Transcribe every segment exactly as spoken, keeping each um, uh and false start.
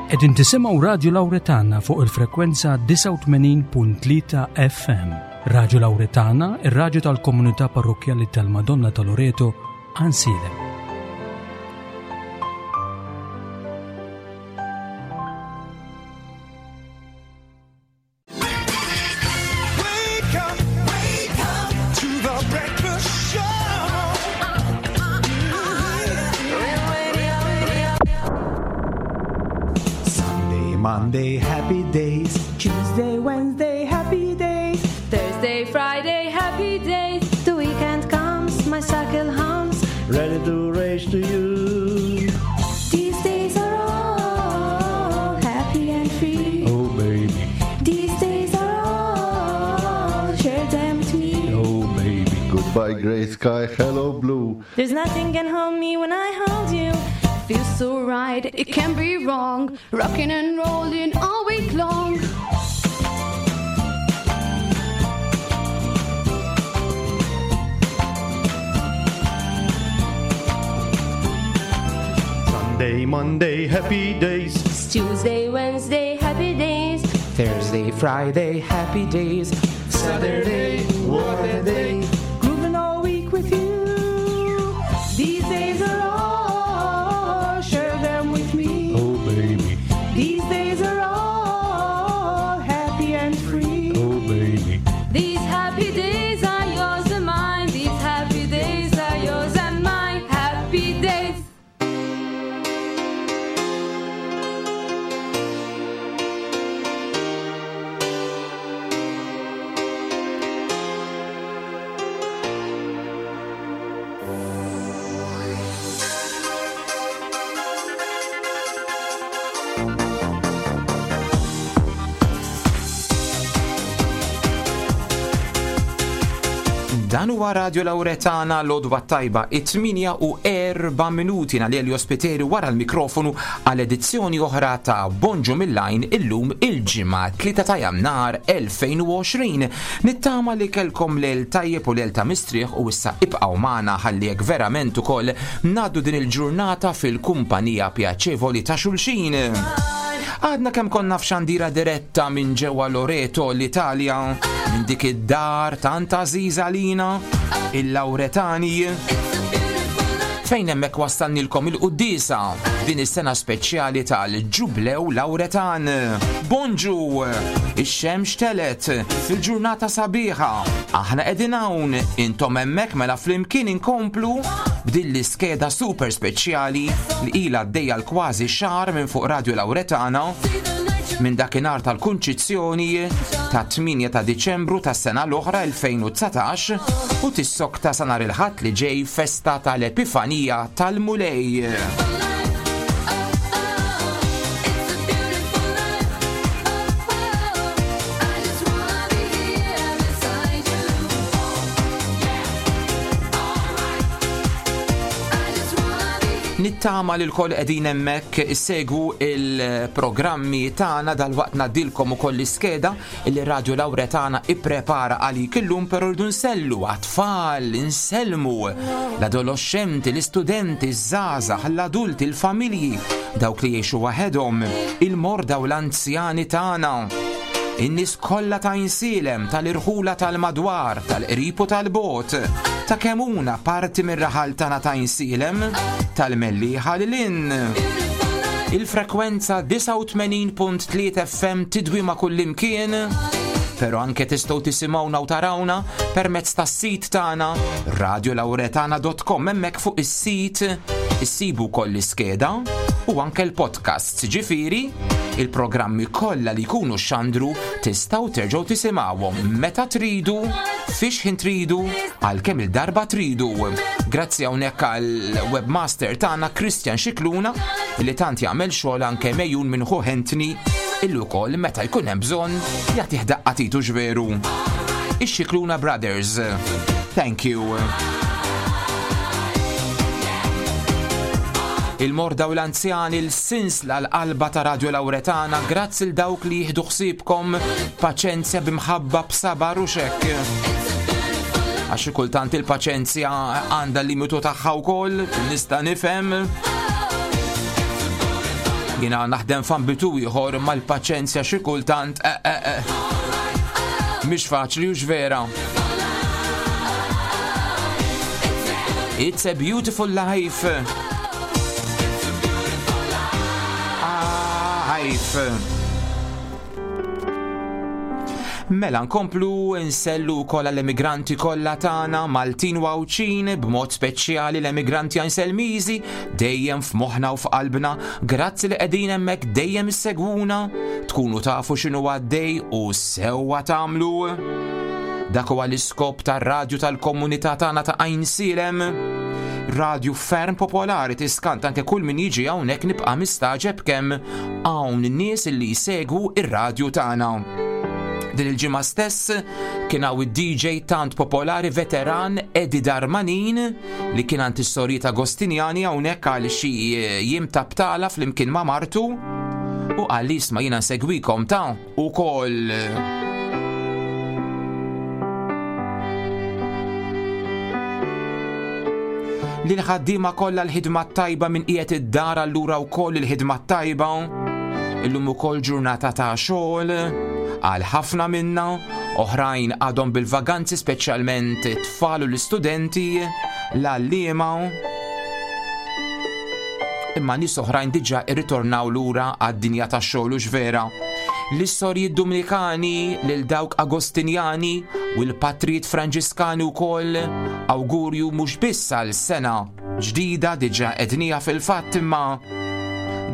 Qegħdin tisimgħu Radju Lawretana fuq il-frekwenza disgħa u tmenin punt tlieta F M. Radju Lawretana, ir-radju tal-komunità parrokkjali tal-Madonna ta' Loreto, Għajnsielem. Monday, happy days. Tuesday, Wednesday, happy days. Thursday, Friday, happy days. The weekend comes, my cycle hums. Ready to race to you. These days are all happy and free. Oh, baby. These days are all, share them with me. Oh, baby. Goodbye, grey sky, hello, blue. There's nothing can hold me when I hold you. Feels so right, it can't be wrong. Rocking and rolling all week long. Sunday, Monday, happy days. It's Tuesday, Wednesday, happy days. Thursday, Friday, happy days. Saturday, what a day. Grooving all week with you. These days are all, share them with me. Oh, baby. These days are all happy and free. Oh, baby. These happy days are yours and mine. These happy days are yours and mine. Happy days. Dan huwa Radio Lawretana l-għodwa tajba it-tmienja u erba' minuti għal Elio Spiteri wara l-mikrofonu għal edizzjoni oħra ta' Bonġu mill-Għajn illum il-ġimgħa tlieta ta' Jannar elfejn u għoxrin. Nittama li kelkom lejl tajjeb u lejl ta' mistrieħ u issa ibqgħu magħna ħalli jekk verament ukoll ngħaddu din il-ġurnata fil-kumpanija pjaċevoli ta' xulxin. Għadna kemm konna f'xandira diretta minn ġewwa Loreto l-Italja, minn dik id-dar tant għażiża lina, il-Lawretani, fejn hemmhekk wassalnilkom il-quddiesa din is-sena speċjali tal-Ġublew Lawretan. Bonġu, ix-xemx telet fil-ġurnata sabiħa. Aħna qegħdin hawn, intom hemmhekk mela flimkien inkomplu b'din l-iskeda super speċjali li ilha għaddejja l-kważi xahar minn fuq Radio Lawretana minn dakinhar tal-Kunċizzjoni ta' tmienja ta' Diċembru tas-sena l-oħra elfejn u dsatax u tissokta sa nhar il-Ħadd li ġej festa tal-Epifanija tal-Mulej. Nittama li l-koll qegħdin hemmhekk issegwu il-programmi tagħna dal-waqt ngħaddilkom ukoll l-iskeda li Radio Lawretana ipprepara għalik illum, però rridu nsellu għat-tfal, insellmu l-adolescenti, l-istudenti, iż-żgħażagħ, l-adulti, il-familji, dawk li jgħixu waħedhom, il-morda u l-anzjani tagħna. In-nies kollha ta' Għajnsielem, tal-irħula tal-madwar, tal-qrib u tal-bot, ta' kemm huna parti mir-raħal tagħna ta' Għajnsielem, tal-Mellieħa lil hinn. Il-frekwenza disgħa u tmenin punt tlieta F M tidwi ma' kullimkien, però anke tistgħu tisimgħuna u tarawna permezz tas-sit tagħna radio lawretana dot com. Hemmhekk fuq is-sit issibu wkoll l-iskeda u anke l-podcasts, ġifieri il-programmi kollha li jkunu xandru tistgħu terġgħu tisimgħuhom meta tridu, fiex ħin tridu, għal kemm il-darba tridu. Grazzi hawnhekk għall-webmaster tagħna Christian Scicluna li tant jagħmel xogħol anke mejjun minn ħu Anthony illi wkoll meta jkun hemm bżonn jagħtih daqqa titu ġveru. Ix-Scicluna Brothers. Thank you. Il-morda u l-anzjani, l-sinsla l-qalba ta' Radio Lawretana, grazzi l dawk li jieħdu ħsiebkom paċenzja b'imħabba b'sabar u xekk. Għax xi kultant il-paċenzja għandha l-limitu tagħha wkoll, nista' nifhem. Jiena naħdem f'ambitu ieħor mal-paċenzja xi kultant eh, eh, eh. Mhix faċli u vera. It's a beautiful life. Ah, life. Mela nkomplu nsellu wkoll l-emigranti kollha tagħna Maltin u Għawdxin, b'mod speċjali l-emigranti Għajnselmiżi, dejjem f'moħħna u f'qalbna, grazzi li qegħdin hemmhekk dejjem issegwuna, tkunu tafu x'inhu għaddej u sewwa tagħmlu. Dak huwa l-iskop tar-radju tal-komunità tagħna ta' Għajnsielem. Radju ferm popolari tiskant anke kull min jiġi hawnhekk nibqa' mistaġeb kemm hawn nies li jsegwu ir-radju tagħna. Din il-ġimgħa stess kien hawn id-D J tant popolari veteran Eddie Darmanin li kien għand is-sorijiet Agostinjani hawnhekk għal xi jiem ta' btala flimkien ma' martu u qal li isma' jiena nsegwikom ta' ukoll. Lil ħaddiema kollha l-ħidma tajba minn qiegħed id-dar allura wkoll il-ħidma tajba. Illum ukoll ġurnata ta' xogħol għal ħafna minna, oħrajn għadhom bil-vaganzi, speċjalment it-tfal u l-istudenti, l-għalliema. Imma nies oħrajn diġà irritornaw lura għad-dinja tax-xogħol u x'vera. L-istorji Dominikani lil dawk Agostinjani u l-patrijiet Franġiskani wkoll awgurju mhux biss għal sena ġdida diġà qednija fil-fatt, imma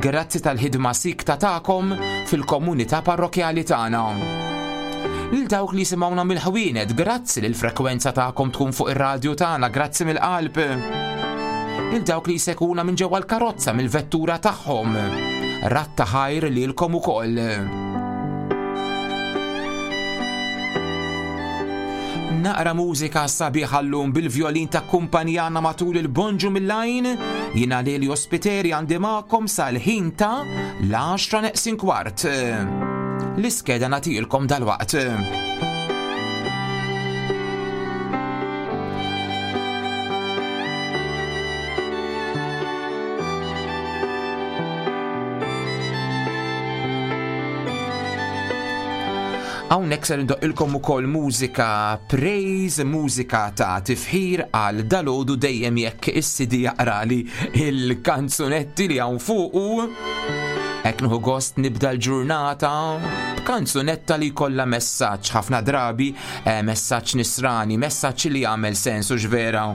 grazzi tal-ħidma sikta tagħkom fil-komunità parrokjali tagħna. Lil dawk li jisimgħuna mill-ħwienet, grazzi li l-frekwenza tagħkom tkun fuq ir-radju tagħna, grazzi mill-qalb. Lil dawk li jsekuna minn ġewwa l-karozza mill-vettura tagħhom, ratta ħajr lilkom ukoll. Naqra mużika sabiħa llum bil-vjolin ta' kumpanjana matul il-Bonġu mill-Għajn. Jiena Lelio Spiteri għandi magħkom sal-ħin ta' l-għaxra neqsin kwart. L-iskeda nagħtilkom dalwaqt. Hawnhekk ser indoqqilkom ukoll mużika praise, mużika ta' tifħir għal dalodu dejjem jekk is-C D jaqrali il-kanzunetti li hawn fuqu. Hekk nieħu gost nibda l-ġurnata b'kanzunetta li jkollha messaġġ, ħafna drabi, eh, messaġġ nisrani, messaġġ li jagħmel sens u x'vera.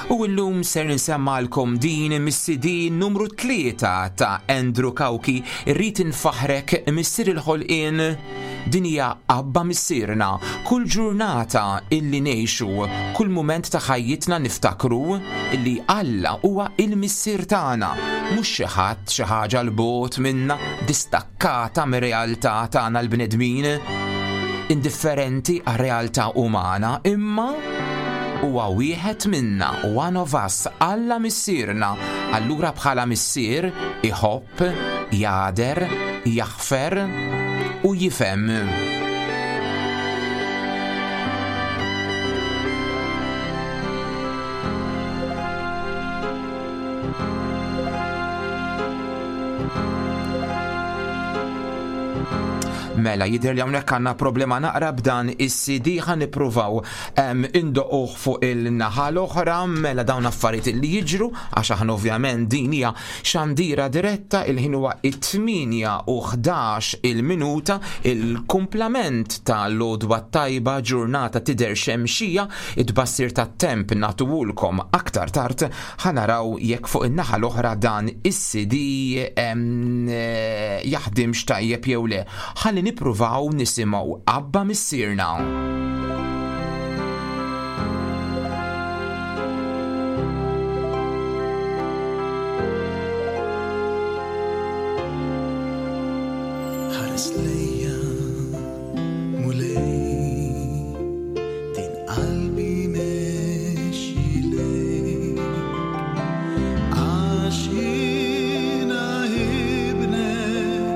U llum ser nsemmalkom din mis-C D numru tlieta ta' Andrew Cauchi, Irrid Infaħrek Missier il-Ħolqien. Din hija Abba Missierna. Kull ġurnata illi ngħixu, kull mument ta' ħajjitna niftakru illi Alla huwa il-Missier tagħna, mhux xi ħadd xi ħaġa 'l bogħod minna, distakkata mir-realtà tagħna l-bnedmin, indifferenti għar-realtà umana, imma huwa wieħed minna, one of us, Alla Missierna. Allura bħala missier iħobb, jagħder, jaħfer u jifhem. Mela, jidher li hawnhekk għandna problema naqra b'dan is-C D, ħa nippruvaw, em, indoquh fuq il-naħa l-oħra. Mela dawn affarijiet li jiġru, għax aħna ovvjament din hija xandira diretta, il-ħin huwa it-tmienja u ħdax il-minuta, il-kumplament tal-għodwa tajba, ġurnata tidher xemxija, it-tbassir tat-temp nagħtuhulkom aktar tard, ħa naraw jekk fuq in-naħa l-oħra dan is-C D, em, eh, jaħdimx tajjeb jew le. Ħalli nippruvaw nisimgħu Abba Missierna. Ħares lejja, Mulej, din qalbi mexxi lejk, għax jiena ibnek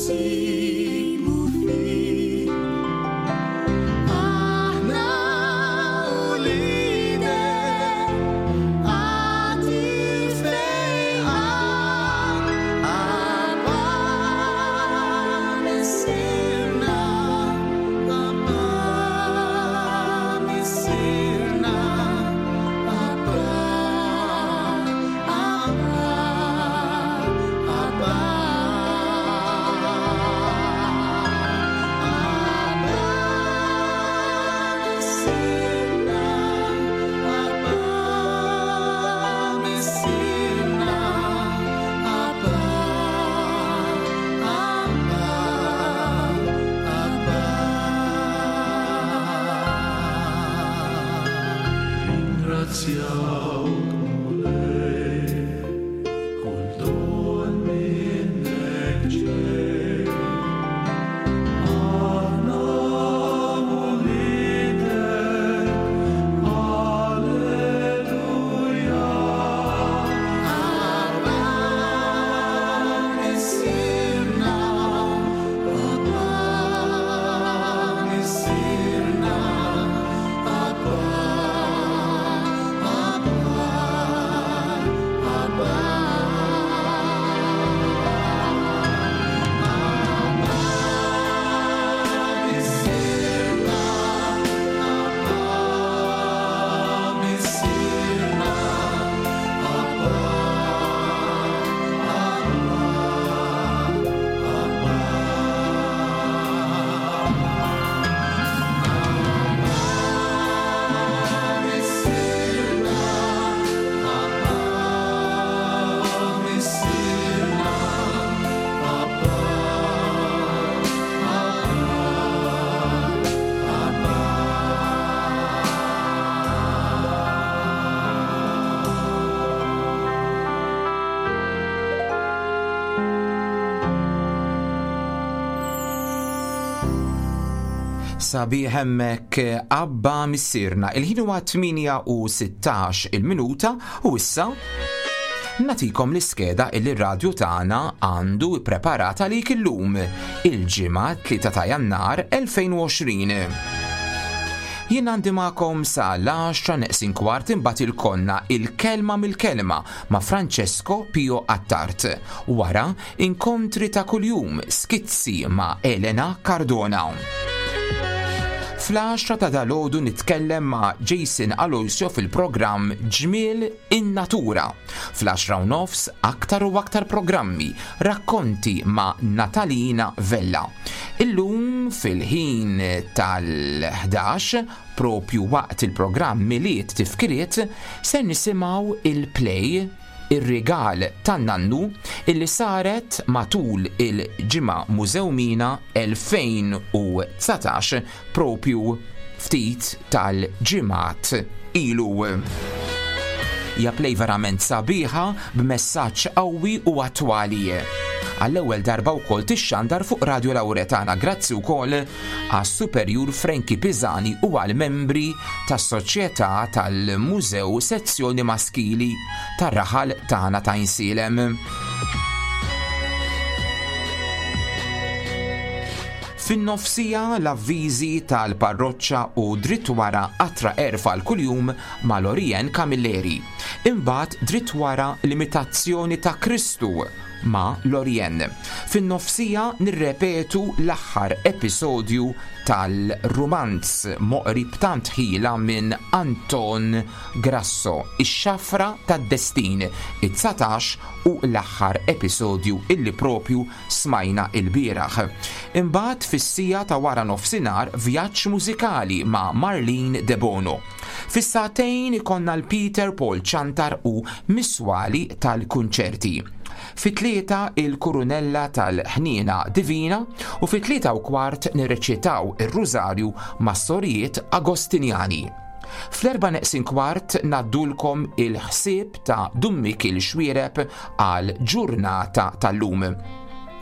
Nsibu fik. Aħna uliedek, agħti l-fejqan. Abba Missierna, Abba Missierna, Abba, Abba, Abba. Missierna, Abba Missierna, Abba, Abba, Abba. Ringrazzjawk Mulej, kull don minnek ġej. Aħna uliedek, alleluja. Abba Missierna, Abba Missierna, Abba, Abba, Abba. Missierna, Abba Missierna, Abba, Abba, Abba. Missierna, Abba Missierna, Abba, Abba, Sabiħ hemmhekk Abba Missierna. Il-ħin huwa tmienja u sittax il-minuta u issa natikom l-iskeda illi r-radju tagħna għandu preparata li illum il-ġimgħa tlieta ta' Jannar elfejn u għoxrin. Jien għandi magħkom sa l-għaxra neqsin kwart, imbagħad il-konna il-kelma mill-kelma ma' Francesco Pio Attard. Wara inkontri ta' kuljum, skizzi ma' Elena Cardona. Fl-għaxra ta' dalodu nitkellem ma' Jason Aloisio fil-programm Ġmiel in-Natura. Fl-għaxra u nofs aktar u aktar programmi, rakkonti ma' Natalina Vella. Illum fil-ħin tal-ħdax, propju waqt il-programm Milied Tifkiriet, se nisimgħu il-play Ir-rigal tan-nannu illi saret matul il-ġimgħa Mużewmina elfejn u dsatax, propju ftit tal-ġimgħat ilu. Hija play verament sabiħa b'messaġġ qawwi u attwali. Għall-ewwel darba wkoll tixxandar fuq Radio Lauretana, grazzi wkoll għas-Superjur Frankie Pisani u għal membri tas-Soċjetà tal-Mużew Sezzjoni Maskili tar-raħal tagħna ta' Għajnsielem. Fin-nofsija l-avviżi tal-parroċċa u dritt wara Qatra Għerf għal kuljum ma' Lorien Camilleri. Imbagħad dritt wara l-imitazzjoni ta' Kristu ma' Lorien. Fin-nofsija nirrepetu l-aħħar episodju tal-rumanz moqri b'tant ħila minn Anton Grasso, Ix-xafra tad-destin, it-dsatax u l-aħħar episodju illi propju smajna il-bieraħ. Imbagħad fis-siegħa ta' wara nofsinhar vjaġġ mużikali ma' Marlene De Bono. Fis-sagħtejn ikollna l-Peter Paul Ciantar u Miswali tal-kunċerti. Fit-tlieta il-Kurunella tal-Ħniena Divina u fit-tlieta u kwart nirreċitaw ir-Rużarju mas-Sorijiet Agostinjani. Fl-erba neqsin kwart ngħaddulkom il-ħsieb ta' Dun Mikiel Xuereb għal ġurnata tal-lum.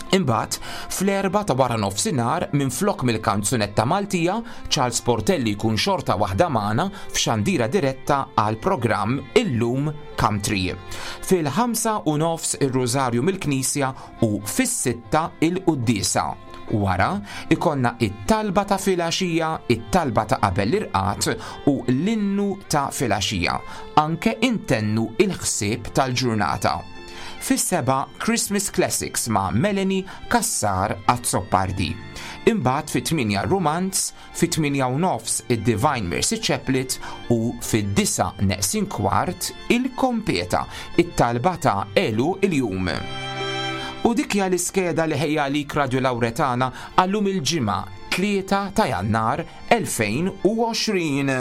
Imbagħad fl-erba ta' wara nofsinhar, minflok mill-kanzunetta Maltija, Charles Portelli jkun xorta waħda magħna f'xandira diretta għal programm Illum Country. Fil-ħamsa u nofs ir-Rużarju mill-Knisja u fis-sitta il-Quddiesa. Wara ikonna it-talba ta' filgħaxija, it-talba ta' qabel l-irqad u l-innu ta' filgħaxija. Anke intennu il-ħsieb tal-ġurnata. Fis-seba' Christmas Classics ma' Melanie Cassar Azzopardi. Imbagħad fit-tmienja Romanz, fit-tmienja u nofs id-Divine Mercy Chaplet u fid-disa neqsin kwart il-Kompeta, it-talba ta' Elu il-Jum. U dik hija l-iskeda li ħejja għalik Radio Lauretana għallum il-ġimgħa tlieta ta' Jannar elfejn u għoxrin.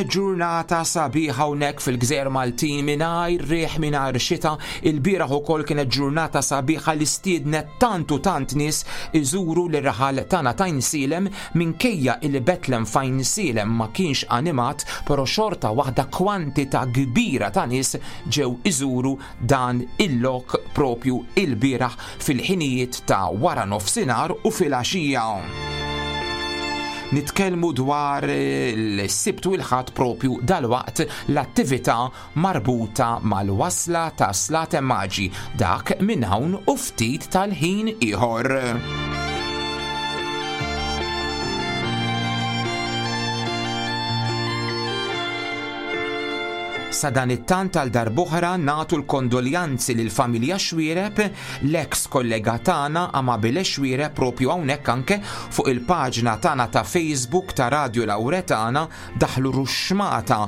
Ġurnata sabiħa hawnhekk fil-Gżejjer Maltin mingħajr riħ, mingħajr xita. Il-bieraħ ukoll kienet ġurnata sabiħa li stiednet tant u tant nies iżuru l-raħal tagħna ta' Għajnsielem, minkejja il Betlem f'Għajnsielem ma kienx animat, però xorta waħda kwantità kbira ta' nies ġew iżuru dan il-lok propju il-bieraħ fil-ħinijiet ta' wara nofsinhar u fil-għaxija. Nitkellmu dwar l-Sibt u l-Ħadd propju dalwaqt l-attività marbuta mal-wasla ta' Slaten Maġi, dak minn hawn u ftit tal-ħin ieħor. Sa dan it-tant għal darb'oħra nagħtu l-kondoljanzi lil familja Xuereb, l-eks kollega tagħna Amabile Xuereb propju hawnhekk anke fuq il-paġna tagħna ta' Facebook ta' Radio Lauretana daħlu ruxmata,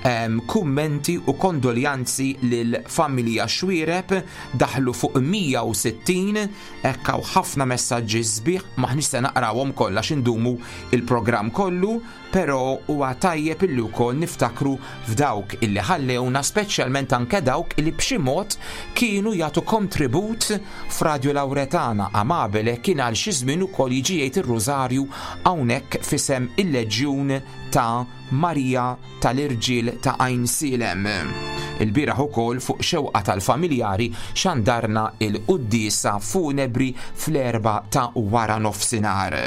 ehm, kummenti u kondoljanzi lil familja Xuereb, daħlu fuq mija u sittin, hekk hawn ħafna messaġġi sbieħ, maħniex se naqrawhom kollha x'indumu il-programm kollu, però huwa tajjeb illi wkoll niftakru f'dawk illi ħallewna, speċjalment anke dawk illi b'xi mod kienu jagħtu kontribut f'Radio Lauretana. Amabile kien għal xi żmien ukoll jiġi jgħid ir-Rużarju hawnhekk f'isem il-Leġjun ta' Marija tal-Irġiel ta' Għajnsielem. Il-bieraħ ukoll fuq xewqa tal-familjari xandarna il-quddiesa funebri fl-erba ta' wara nofsinhar.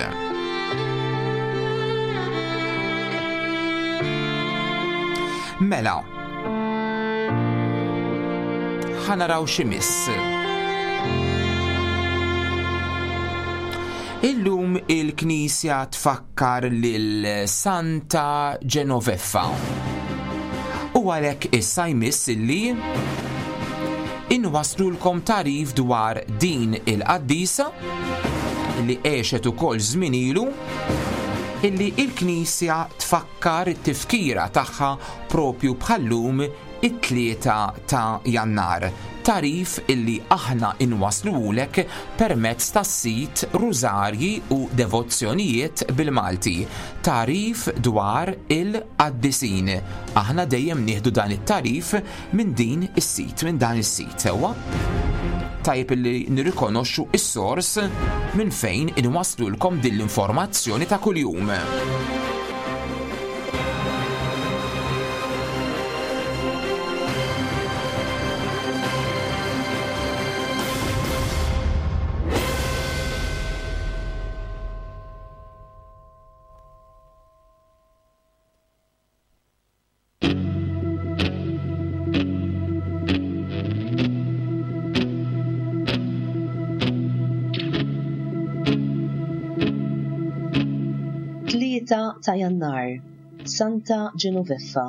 Mela, ħanaraw xi miss. Illum il-Knisja tfakkar lil Santa Genoveffa. U għalhekk issa jmiss illi inwaslulkom tarif dwar din il-qaddisa li għexet ukoll żmien ilu, illi il-Knisja tfakkar it-tifkira tagħha propju bħallum it-tlieta ta' Jannar. Tarif illi aħna inwaslulek permezz tas-sit Rużarji u Devozzjonijiet bil-Malti. Tarif dwar il-qaddisin. Aħna dejjem nieħdu dan it-tarif minn din is-sit, minn dan is-sit, sewwa? Tajjeb illi nirrikonoxxu is-sors minn fejn inwaslulkom din l-informazzjoni ta' kuljum. Tlieta ta' Jannar, Santa Genoveffa,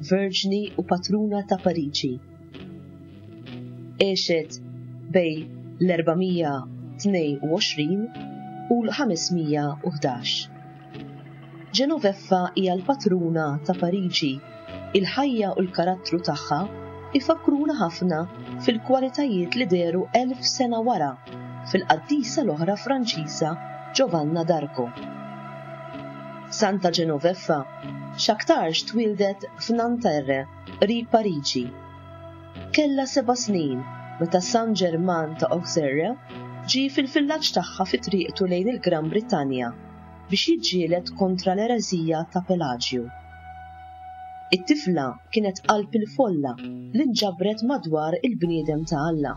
Verġni u Patruna ta' Pariġi. Għexet bej l-erbamija tnejn u għoxrin u l-ħamesmija u ħdax. Genoveffa hija l-patruna ta' Pariġi. Il-ħajja u l-karattru tagħha ifakruna ħafna fil-kwalitajiet li dehru elf sena wara fil-qaddisa l-oħra Franċiża Giovanna d'Arco. Santa Genoveffa x'aktarx twildet f'Nanterre, qrib Pariġi. Kellha seba' snin meta San Ġerman ta' Auxerre ġie fil-villaġġ tagħha fi triqtu lejn il-Gran Brittanja biex jiġġieled kontra l-ereżija ta' Pelagju. It-tifla kienet qalb il-folla li nġabret madwar il-bniedem ta' Alla.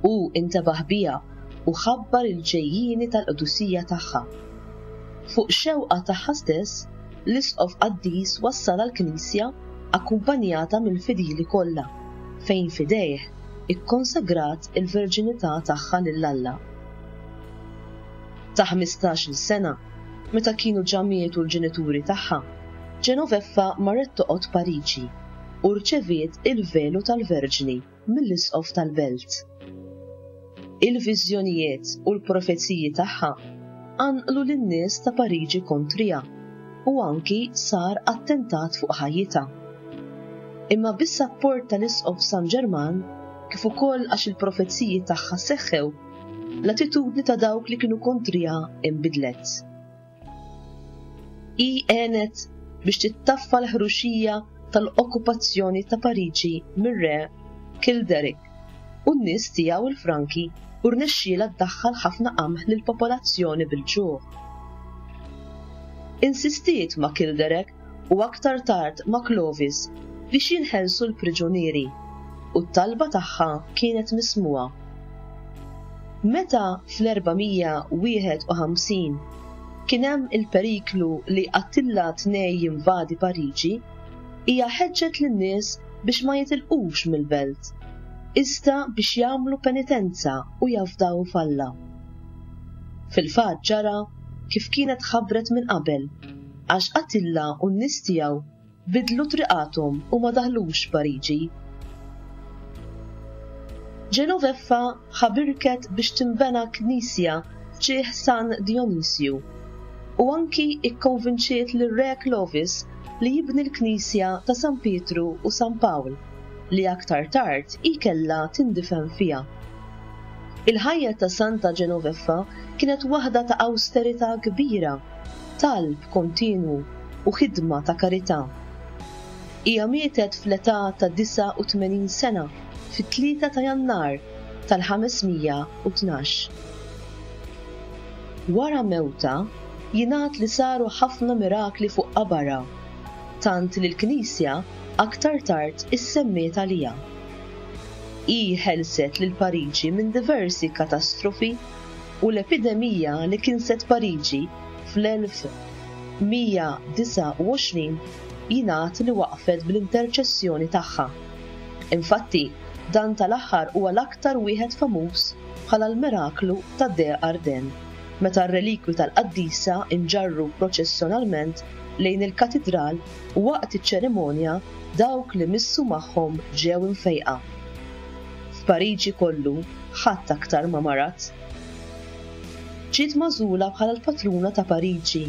Hu intebaħ biha u ħabbar il-ġejjieni tal-qdusija tagħha. Fuq xewqa tagħha stess, l-isqof qaddis wassalha l-knisja akkumpanjata mill-fidili kollha, fejn f'idejh ikkonsagrat il-verġinità tagħha lil Alla. Ta' ħmistax-il sena, meta kienu ġa mietu l-ġenituri tagħha, Genoveffa marret toqgħod Pariġi u rċeviet il-velu tal-Verġni mill-isqof tal-belt. Il-viżjonijiet u l-profeziji tagħha qanqlu lin-nies ta' Pariġi kontriha u anki sar attentat fuq ħajjitha. Imma bis-sapport tal-isqof San Ġerman, kif ukoll għax il-profeziji tagħha seħħew, l-attitudni ta' dawk li kienu kontriha inbidlet. Hi għenet biex tittaffa l-ħruxija tal-okkupazzjoni ta' Pariġi mir-re Childeric u n-nies tiegħu il-Franki u rnexxielha ddaħħal ħafna qamħ lill-popolazzjoni bil-ġuħ. Insistiet ma' Childeric u aktar tard ma' Clovis biex jinħelsu l-priġunieri u t-talba tagħha kienet mismugħa. Meta fl-erba' mija wieħed u ħamsin kien hemm il-periklu li Attila tnej jinvadi Pariġi, hija ħeġġet lin-nies biex ma jitilqux mill-belt, iżda biex jagħmlu penitenza u jafdaw f'Alla. Fil-fatt ġara kif kienet ħabbret minn qabel, għax Attila u n-nies tiegħu bidlu triqathom u ma daħlux Pariġi. Genoveffa ħabirket biex tinbena knisja f'ġieħ San Dionisju u anki ikkonvinċiet lir-re Clovis li jibni l-knisja ta' San Pietru u San Pawl li aktar tard hi kellha tindifen fiha. Il-ħajja ta' Santa Genoveffa kienet waħda ta' awsterità kbira, talb kontinwu u ħidma ta' karità. Hija mietet fl-età ta' disgħa u tmenin sena fit-tlieta ta' Jannar tal-ħames mija u tnax. Wara mewta jingħad li saru ħafna mirakli fuq qabarha, tant li l-Knisja aktar tard issemmiet għaliha. Hi ħelset lil Pariġi minn diversi katastrofi u l-epidemija li kinset Pariġi fl-elf mija disgħa u għoxrin jingħad li waqfet bl-interċessjoni tagħha. Infatti, dan tal-aħħar huwa l-aktar wieħed famuż bħala l-miraklu ta' De Arden, meta r-relikwi tal-qaddisa inġarru proċessjonalment lejn il-katidral u waqt iċ-ċerimonja dawk li missu magħhom ġew imfejqa. F'Pariġi kollu ħadd aktar ma marad. Ġiet magħżula bħala l-patruna ta' Pariġi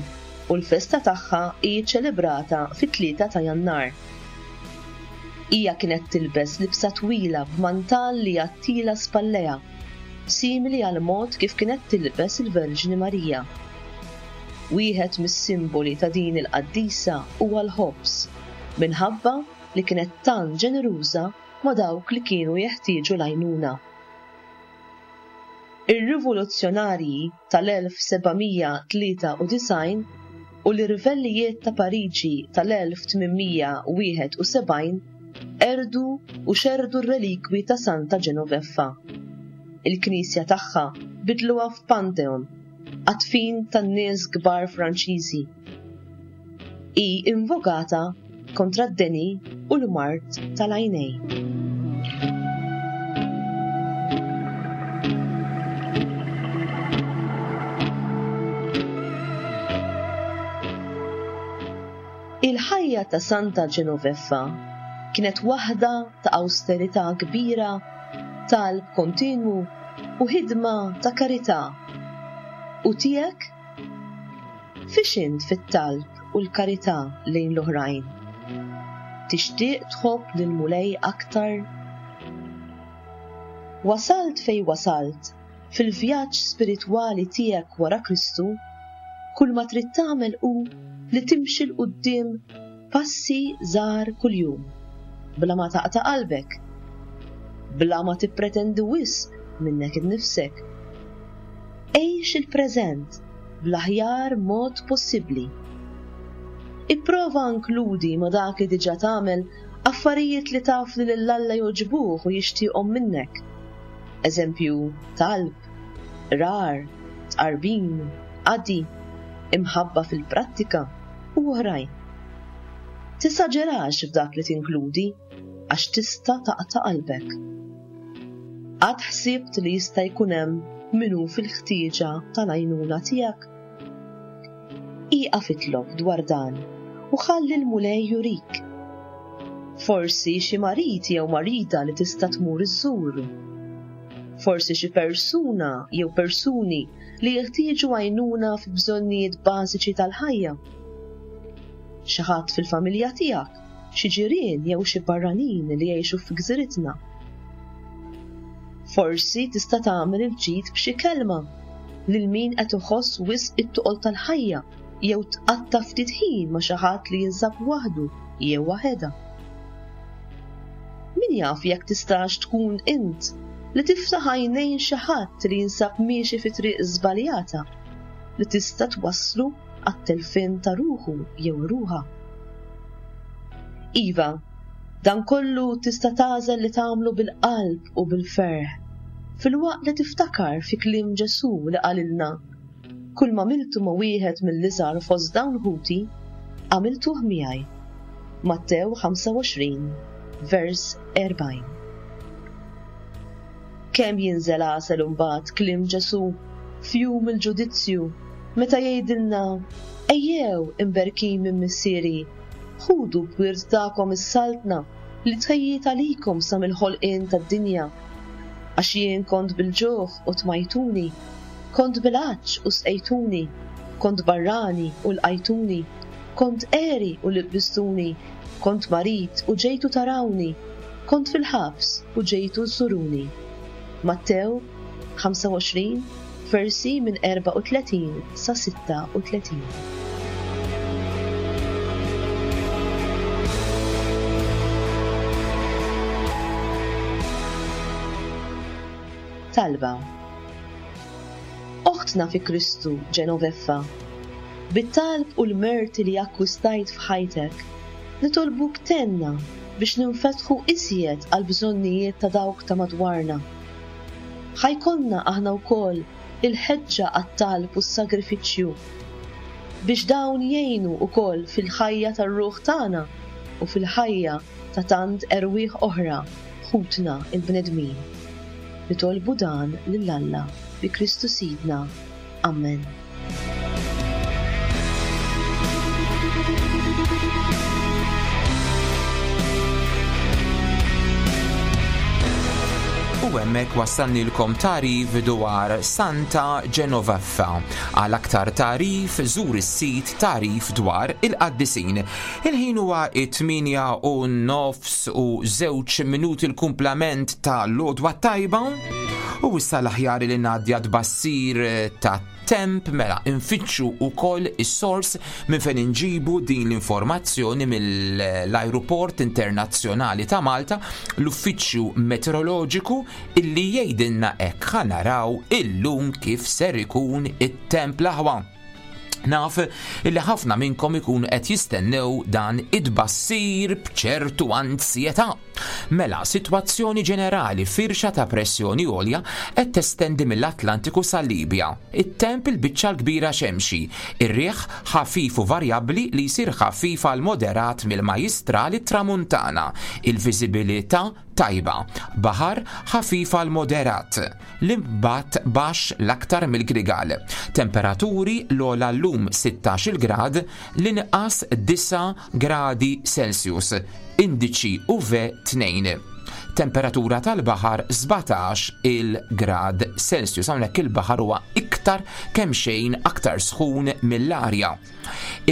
u l-festa tagħha hi ċċelebrata fit-tlieta ta' Jannar. Hija kienet tilbes libsa twila b'mantal li jgħattila spallejha, simili għal mod kif kienet tilbes il-Verġni Marija. Wieħed mis-simboli ta' din il-qaddisa huwa l-ħobż, minħabba li kienet tant ġeneruża ma' dawk li kienu jeħtieġu l-għajnuna. Ir-rivoluzzjonarji tal-elf seba' mija tlieta u disgħin u l-irvellijiet ta' Pariġi tal-elf tmien mija wieħed u sebgħin erdu u xerdu r-relikwi ta' Santa Genoveffa. Il-knisja tagħha bidluha f'Pantheon, għat-tfin tan-nies kbar Franċiżi. Hi invokata kontra d-deni u l-mard tal-għajnej. Il-ħajja ta' Santa Genoveffa kienet waħda ta' awsterità kbira, talb kontinwu u ħidma ta' karità. U tiegħek? Fiex int fit-talb u l-karità lejn l-oħrajn? Tixtieq tħobb lil Mulej aktar? Wasalt fej wasalt fil-vjaġġ spiritwali tiegħek wara Kristu, kull ma trid tagħmel hu li timxi 'l quddiem passi żgħar kuljum, bla ma taqta' qalbek, bla ma tippretendi wisq minnek innifsek. Għix il-preżent bl-aħjar mod possibbli. Ipprova inkludi ma dak li diġà tagħmel affarijiet li taf li lil Alla jogħġbuh u jixtieqhom minnek. Eżempju, talb, Qrar, tqarbin, qadi, imħabba fil-prattika u oħrajn. Tesaġerax f'dak li tinkludi għax tista' taqta' qalbek. Qatt ħsibt li jista' jkun hemm min hu fil-ħtieġa tal-għajnuna tiegħek? Ieqaf itlob dwar dan u ħalli l-Mulej jurik. Forsi xi marid jew marida li tista' tmur iżżur. Forsi xi persuna jew persuni li jeħtieġu għajnuna fi bżonnijiet bażiċi tal-ħajja. Xi ħadd fil-familja tiegħek, xi ġirien jew xi barranin li jgħixu fi gżiritna. Forsi tista' tagħmel il-ġid b'xi kelma lil min qed iħoss wisq it-toqol tal-ħajja jew tqatta' ftit ħin ma' xi ħadd li jinsab waħdu jew waħedha. Min jaf jekk tistax tkun int li tiftaħ għajnejn xi ħadd li jinsab miexi fi triq żbaljata li tista' twasslu għat-telfien ta' ruħu jew ruħha. Iva, dan kollu tista' tagħżel li tagħmlu bil-qalb u bil-ferħ, filwaqt li tiftakar fi kliem Ġesù li qalilna: Kull ma għamiltu ma' wieħed mill-iżgħar fost dawn ħuti, għamiltuh miegħi. Mattew ħamsa u għoxrin, vers erbgħin. Kemm jinżel għasel imbagħad kliem Ġesù f'jum il-ġudizzju meta jgħidilna: Ejjew imberkin minn missieri, ħudu b'wirt tagħkom is-saltna li tħejjiet għalikom sa mill-ħolqien tad-dinja. Għax jien kont bil-ġuħ u tmajtuni, kont bil-għatx u sqejtuni, kont barrani u lqajtuni, kont għeri u libbistuni, kont marid u ġejtu tarawni, kont fil-ħabs u ġejtu żżuruni. Mattew ħamsa u għoxrin, versi minn erbgħa u tletin sa sitta u tletin. Talba. Oħtna fi Kristu Genoveffa, bit-talb u l-merti li akkwistajt f'ħajtek, nitolbuk tenna biex ninfetħu iżjed għal bżonnijiet ta' dawk ta' madwarna. Ħajkonna aħna wkoll il-ħeġġa għat-talb u s-sagrifiċċju biex dawn jgħinu wkoll fil-ħajja tar-ruħ tagħna u fil-ħajja ta' tant erwieħ oħra ħutna il-bnedmin. Nitolbu dan lil Alla bi Kristu Sidna. Amen. U hemmhekk wassalnilkom tagħrif dwar Santa Genoveffa. Għal aktar tagħrif żur is-sit tagħrif dwar il-qaddisin. Il-ħin huwa it-tmienja u nofs u żewġ minuti l-kumplament ta' l-għodwa tajba. U issa l-aħjar li ngħaddi tbassir ta' temp, mela infittxu wkoll is-sors minn fejn inġibu din l-informazzjoni mill-Ajruport Internazzjonali ta' Malta, l-Uffiċċju Meteoroloġiku, illi jgħidilna hekk ħa naraw illum kif ser ikun it-temp l-aħwa. Naf illi ħafna minnkom ikun qed jistennew dan id-bassir b'ċertu anzjetà. Mela, sitwazzjoni ġenerali, firxa ta' pressjoni għolja qed testendi mill-Atlantiku sal-Libja. It-temp il-biċċa l-kbira xemxi, ir-riħ ħafif u varjabbli li jsir ħafif għal moderat mill-Majjistral it-Tramuntana, il-viżibilità tajba, baħar ħafif għal moderat, l-imbat baxx l-aktar mill-Grigal. Temperaturi l-ogħla llum sittax-il grad, l-inqas disa' gradi Celsius, indiċi U V tnejn. Temperatura tal-baħar sbatax il-grad Celsius. Hawnhekk il-baħar huwa iktar kemm xejn aktar sħun mill-arja.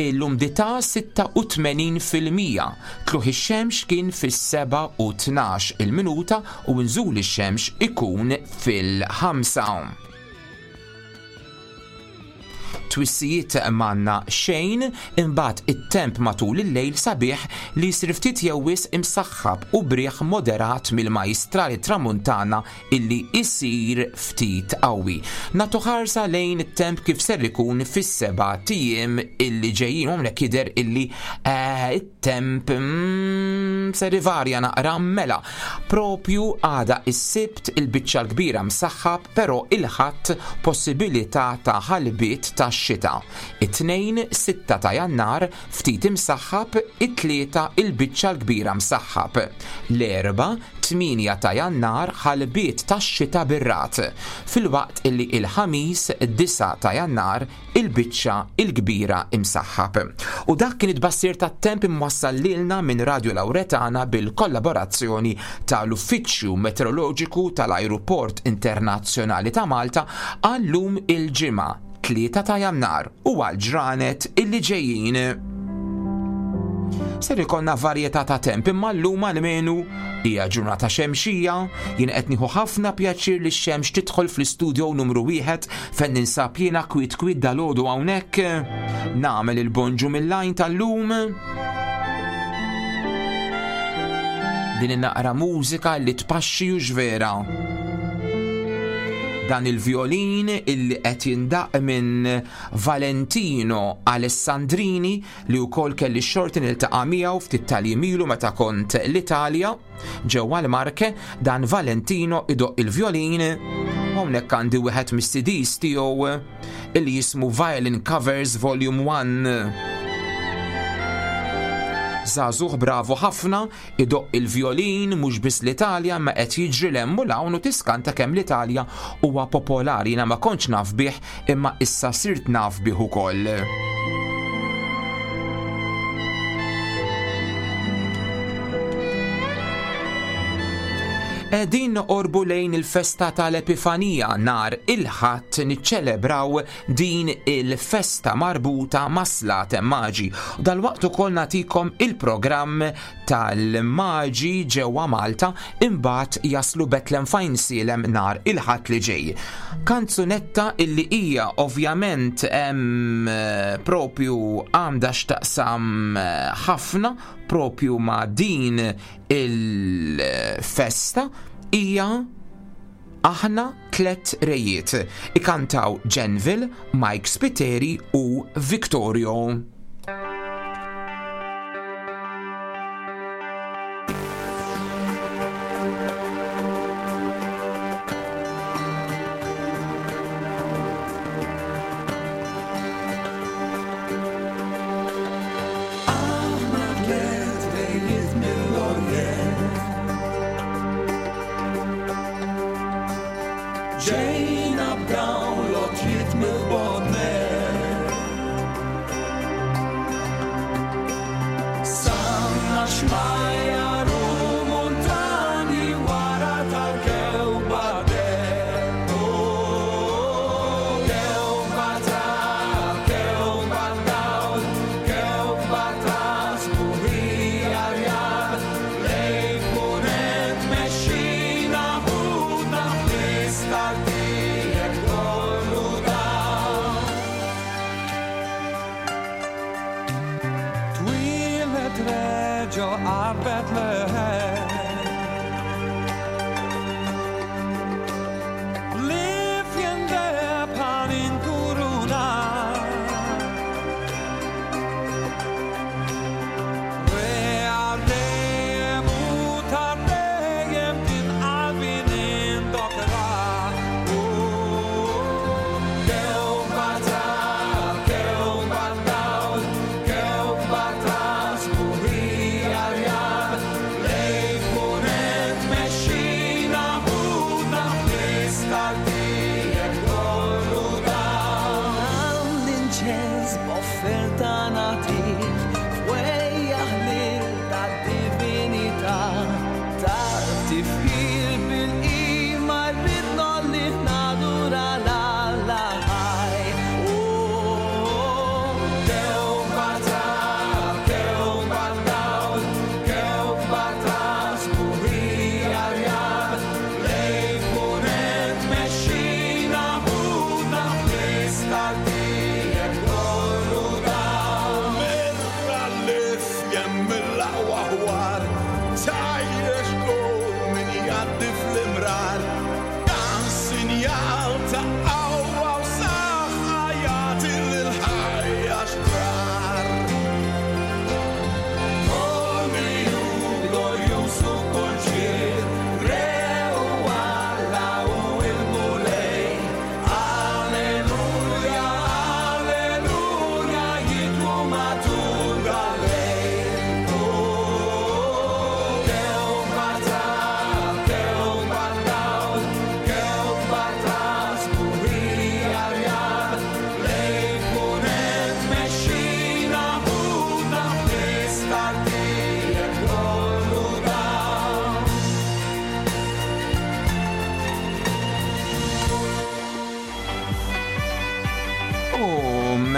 L-umdità sitta u tmenin fil-mija. Tluħ ix-xemx kien fis-seba' u tnax il-minuta u nżul ix-xemx ikun fil-ħamsa. Twissijiet m'għandna xejn, imbagħad it-temp matul il-lejl sabiħ li jsir ftit jew wisq imsaħħab u briħ moderat mill-majstrali tramuntana illi isir ftit qawwi. Nagħtu ħarsa lejn it-temp kif ser ikun fis-seba' tiem illi ġejjin, hawnhekk jidher illi eh, it-temp mm, ser ivarja naqra mela. Propju għada is-Sibt il-biċċa l-kbira msaħħab, però il-Ħadd possibilità ta' ħalbiet ta' xita. It-Tnejn sitta ta' Jannar ftit imsaħħab, it-Tlieta il-biċċa l-kbira msaħħab. L-Erbgħa tmienja ta' Jannar ħalbiet ta' xita bir-rat. Filwaqt illi il-Ħamis disa' ta' Jannar il-biċċa il-kbira imsaħħab. U dak kien it-tbassir tat-temp imwassal lilna minn Radio Lauretana bil-kollaborazzjoni tal-Uffiċċju Meteoroloġiku tal-Ajruport Internazzjonali ta' Malta għallum il-Ġimgħa tlieta ta' Jannar u għal ġranet illi ġejjin. Ser ikollna varjetà ta' temp, imma llum almenu hija ġurnata xemxija. Jien qed nieħu ħafna pjaċir li x-xemx tidħol fl-istudio numru wieħed fejn ninsab jiena kwit kwit dalgħodu hawnhekk. Nagħmel il-bonġu mill-lajn tal-lum. Din in-naqra mużika li tpaxxi u ġvera. Dan il-violin illi qed jindaq minn Valentino Alessandrini li wkoll kelli x-xorti niltaqa' miegħu ftit tal-jiem ilu meta kont l-Italja ġewwa l-Marke. Dan Valentino idoq il-violin. Hawnhekk għandi wieħed mis-C Ds tiegħu illi jismu Violin Covers Volume one. Żagħżugħ bravo ħafna, idoq il-violin mhux biss l-Italja ma qed jiġri 'l hemm u 'l hawn u tiskanta kemm l-Italja huwa popolari. Jiena ma kontx naf bih imma issa sirt naf bih ukoll. Qegħdin noqorbu lejn il-festa tal-Epifanija. Nar il-Ħadd niċċelebraw din il-festa marbuta ma' Slaten Maġi. Dalwaqt ukoll nagħtikom il-programm tal-Maġi ġewwa Malta, imbagħad jaslu Betlem Fajnsielem nar il-Ħadd li ġej. Kanzunetta illi hija ovvjament hemm propju għandha x'taqsam ħafna propju ma' din il-festa hija Aħna Tlet Rejiet. Ikantaw Genville, Mike Spiteri u Victorio. Ġejna b'dawn lotjiet mill-bodnet.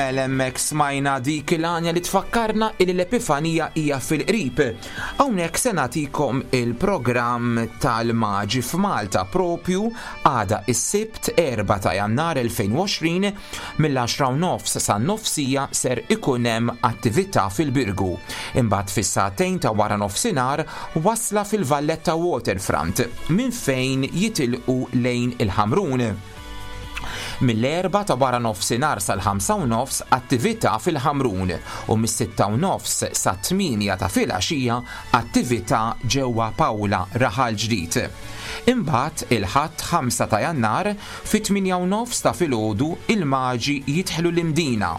Mela hemmhekk smajna dik il-għanja li tfakkarna illi l-Epifanija hija fil-qrib. Hawnhekk se nagħtikom il-programm tal-Maġi f'Malta propju għada is-Sibt erba' ta' Jannar elfejn u għoxrin mill-għaxra u nofs sa nofsija ser ikun hemm attività fil-Birgu. Imbagħad fis-sagħtejn ta' wara nofsinhar wasla fil-Valletta Waterfront minn fejn jitilqu lejn il-Ħamrun. Mill-erba' ta' wara nofsinhar sal-ħamsa u nofs attività fil-Ħamrun u mis-sitta u nofs sa tmienja ta' filgħaxija attività ġewwa Pawla Raħal Ġdid. Imbagħad il-Ħadd ħamsa ta' Jannar fit-tmienja u nofs ta' filgħodu il-Maġi jidħlu l-Imdina.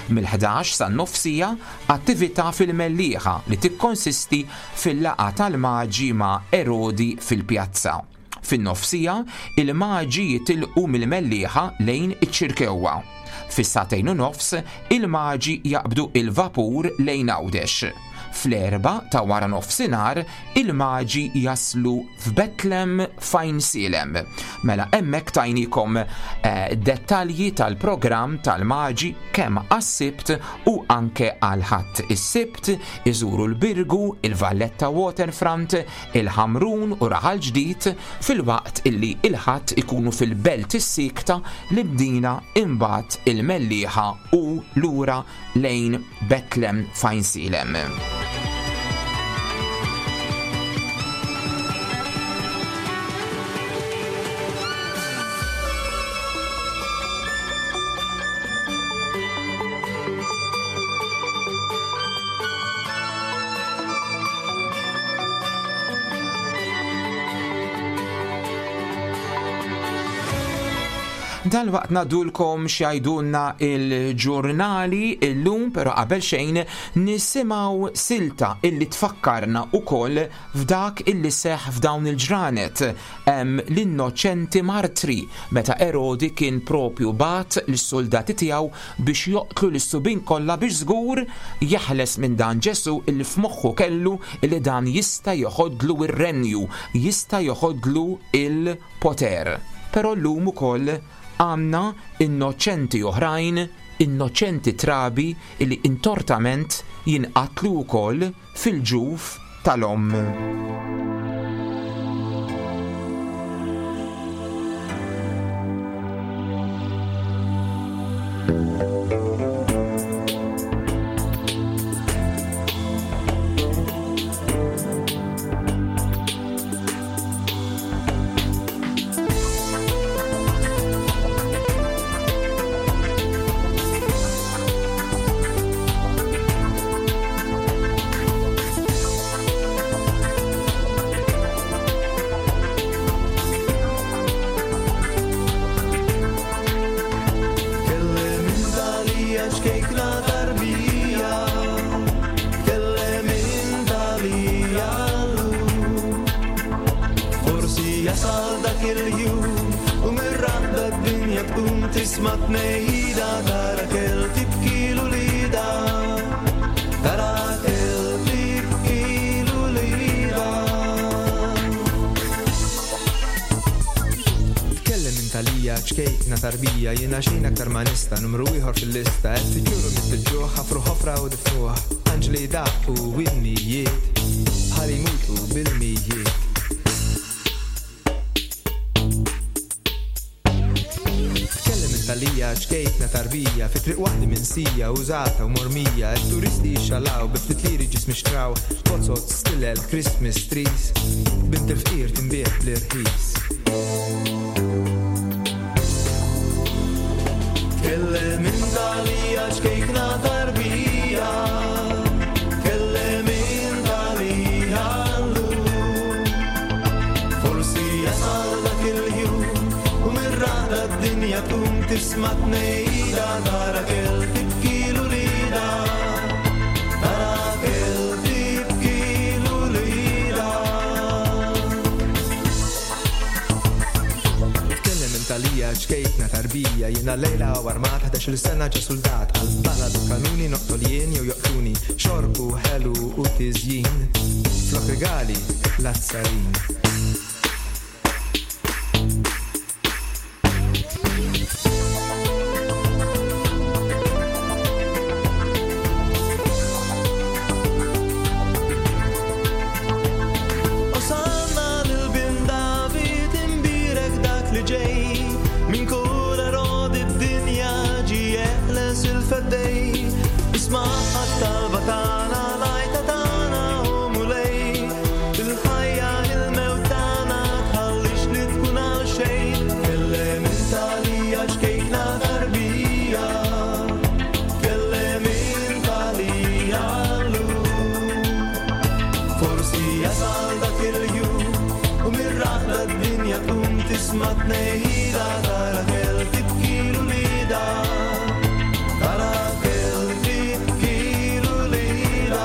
Mill-ħdax sa nofsija attività fil-Mellieħa li tikkonsisti fil-laqgħa tal-Maġi ma' Erodi fil-pjazza. Fin-nofsija, il-Maġi jitilqu mill-Mellieħa lejn iċ-Ċirkewwa. Fis-sagħtejn u nofs, il-Maġi jaqbdu il-vapur lejn Għawdex. Fl-erba' ta' wara nofsinhar, il-Maġi jaslu f'Betlem f'Għajnsielem. Mela hemmhekk tajnikom, eh, dettalji tal-programm tal-Maġi kemm għas-Sibt u anke għal-Ħadd. Is-Sibt iżuru l-Birgu, il-Valletta Waterfront, il-Ħamrun u Raħal Ġdid, filwaqt illi il-Ħadd ikunu fil-Belt is-Sikta, l-Imdina, imbagħad il-Mellieħa u lura lejn Betlem f'Għajnsielem. Dal-waqt nadulkom x'jgħidulna il-ġurnali illum, però qabel xejn nisimgħu silta illi tfakkarna ukoll f'dak illi seħħ f'dawn il-ġranet. Hemm l-innoċenti martri meta Erodi kien propju bat lis-soldati tiegħu biex joqtlu lis-subin kollha biex żgur jeħles minn dan Ġesu illi f'moħħu kellu illi dan jista' joħodlu r-renju, jista' joħodlu il-poter. Però llum ukoll għandna innoċenti oħrajn, innoċenti trabi illi intortament jinqatlu wkoll fil-ġuf tal-omm. Ċkejkna tarbija, jiena xejn aktar ma nista', numru ieħor fil-lista, qed tiġuru mit-ġuħ, ħafru ħofra u difnuh, anġli daqqu winnijiet, bħal imutu bil-mijiet. Tkellem intalija, ċkejkna tarbija, fi triq waħdi minsija, użata u mormija, it-turisti jixxalaw, bi ftit liri ġismi xtraw, pozzot, stilel, Christmas trees, bint il-fqir tinbiegħ bl-irħis. Kellem intalija ċkejkna tarbija, kellem intalija llum. Forsi jasal dak il-jum u mir-rada d-dinja tqum tisma' tnejda tara kell tibki l-ulida, tara kell tibki l-ulida. Tkellem intalija ċkejkna tarbija, jiena lejla u armat ħdax-il sena ġa soldat, għal-balad u kanuni noqtol jien jew joqtuni, xorb u ħelu u tiżjin, flok regali l-azzarin. Tisma' tnehida ta' Rakel tibki l-ulida. Ta' Rakel tibki l-ulida.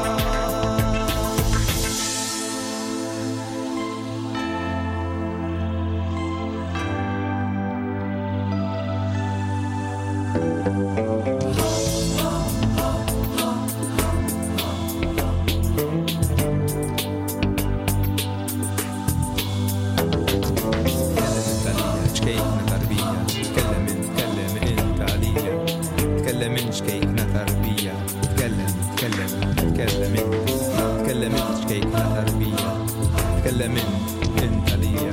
Tkellem int għalija, ċkejkna tarbija. Tkellem int, tkellem int għalija. Tkellem int ċkejkna tarbija. Tkellem, tkellem, tkellem int. Tkellem int ċkejkna tarbija. Tkellem int, int għalija.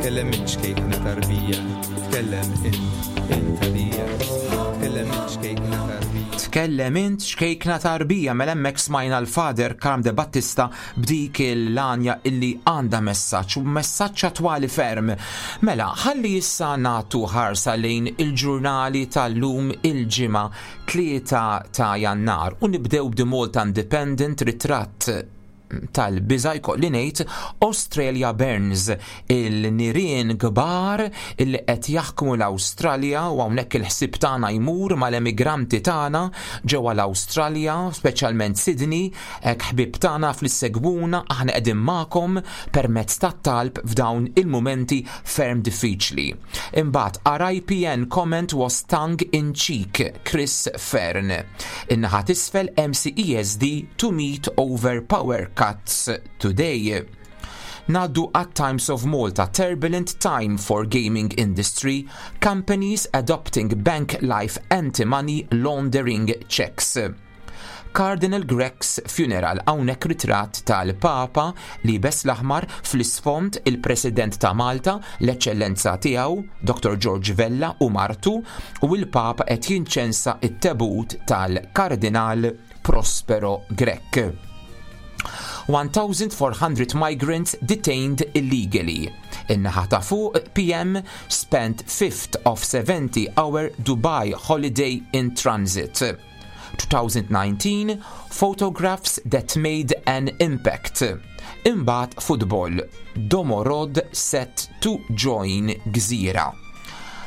Tkellem int ċkejkna tarbija. Tkellem int, int għalija. Tkellem int ċkejkna tarbija. Tkellem int xkejkna tarbija, mela hemmhekk smajna l-Father Karm de Battista b'dik il-lanja illi għandha messaġġ u messaġġ attwali ferm. Mela, ħalli issa nagħtu ħarsa lejn il-ġurnali tal-lum il-ġimgħa tlieta ta' Jannar u nibdew b'The Malta Independent, ritratt tal-biża' jkolli ngħid, Australia Burns, il-nirien kbar illi qed jaħkmu l-Awstralja, u hawnhekk il-ħsieb tagħna jmur mal-emigranti tagħna ġewwa l-Awstralja, speċjalment Sydney, hekk ħbieb tagħna fl-segwuna, aħna qegħdin magħkom permezz tat-talb f'dawn il-mumenti ferm diffiċli. Imbagħad R I P N comment was tongue in cheek, Chris Fearne. In-naħa t'isfel M C E S D to meet over power cuts today. Ngħaddu at Times of Malta, turbulent time for gaming industry, companies adopting bank life anti-money laundering checks. Cardinal Grech's funeral, hawnhekk ritratt tal-Papa li liebes l-aħmar, fl-isfond il-President ta' Malta, l-Eċċellenza tiegħu, Doctor George Vella u martu, u il-Papa qed jinċensa it-tebut tal-Kardinal Prospero Grech. one thousand four hundred migrants detained illegally. In-naħa ta' fuq, P M spent fifth of seventy-hour Dubai holiday in transit. twenty nineteen photographs that made an impact. Imbagħad football, Domorod set to join Gżira.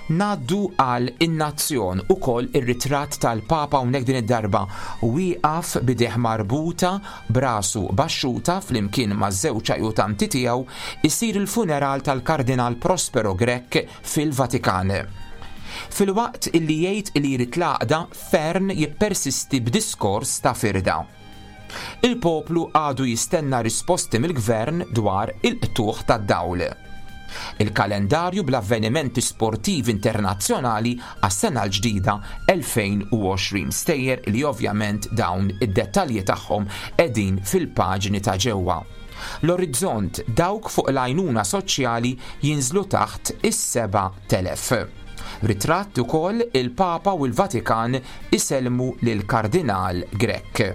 Ngħaddu għal In-Nazzjon, ukoll ir-ritratt tal-Papa, hawnhekk din id-darba wieqaf b'idejh marbuta, b'rasu baxxuta, flimkien ma' żewġ ajutanti tiegħu, isir il-funeral tal-Kardinal Prospero Grech fil-Vatikan. Filwaqt illi jgħid li jrid l-għaqda, Fearne jippersisti b'diskors ta' firda. Il-poplu għadu jistenna risposti mill-gvern dwar il-qtugħ tad-dawl. Il-kalendarju bl-avvenimenti sportivi internazzjonali għas-sena l-ġdida elfejn u għoxrin, stejjer li ovvjament dawn id-dettalji tagħhom qegħdin fil-paġni ta' ġewwa. L-Orizzont, dawk fuq l-għajnuna soċjali jinżlu taħt is-seba' telef. Ritratt ukoll il-Papa u l-Vatikan isellmu lil Kardinal Grech.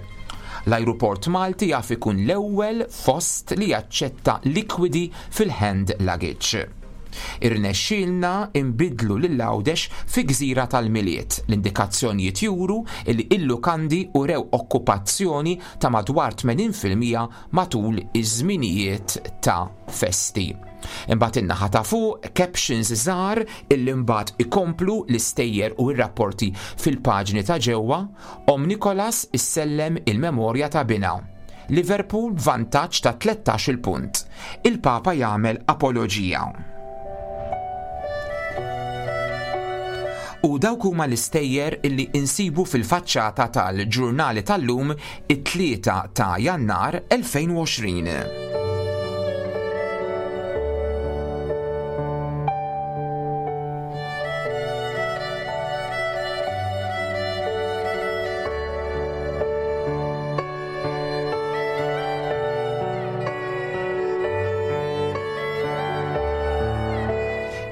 L-ajruport Malti jaf ikun l-ewwel fost li jaċċetta likwidi fil-hand luggage. Irnexxielna imbidlu lil Għawdex fi gżira tal-Milied. L-indikazzjonijiet juru li il-lukandi urew okkupazzjoni ta' madwar tmenin fil-mija matul iż-żminijiet ta' festi. Imbagħad in-naħa ta' fuq captions żgħar illi mbagħad ikomplu l-istejjer u r-rapporti fil-paġni ta' ġewwa. Omm Nicholas issellem il-memorja ta' binha. Liverpool vantaġġ ta' tlettax-il punt. Il-Papa jagħmel apoloġija. U dawk huma l-istejjer illi insibu fil-faċċata tal-ġurnali tal-lum, it-tlieta ta' Jannar elfejn u għoxrin.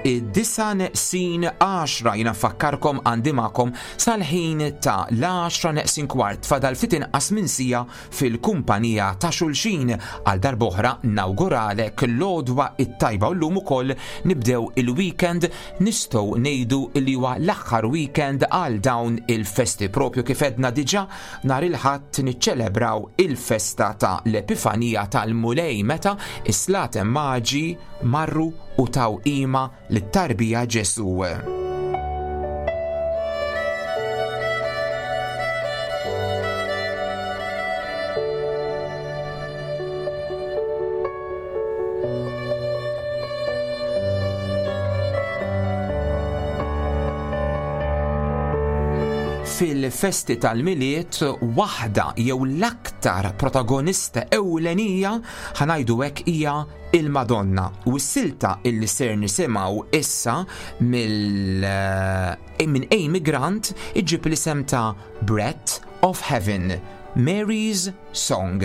Id-disa neqsin għaxra, jiena nfakkarkom għandi magħkom sal-ħin ta' l-għaxra neqsin kwart, fadal ftit inqas minn siegħa fil-kumpanija ta' xulxin. Għal darb'oħra nawguralek l-għodwa it-tajba u llum ukoll nibdew il-weekend, nistgħu ngħidu li huwa l-aħħar weekend għal dawn il-festi, propju kif għedna diġà nhar il-Ħadd niċċelebraw il-festa ta' l-Epifanija tal-Mulej meta is-Slaten Maġi marru u taw qima lit-tarbija Ġesù. Fil-festi tal-Milied, waħda jew l-aktar protagonista ewlenija ħa ngħidu hekk hija il-Madonna. U s-silta illi ser nisimgħu issa mill minn Amy Grant iġib l-isem ta' Breath of Heaven, Mary's Song.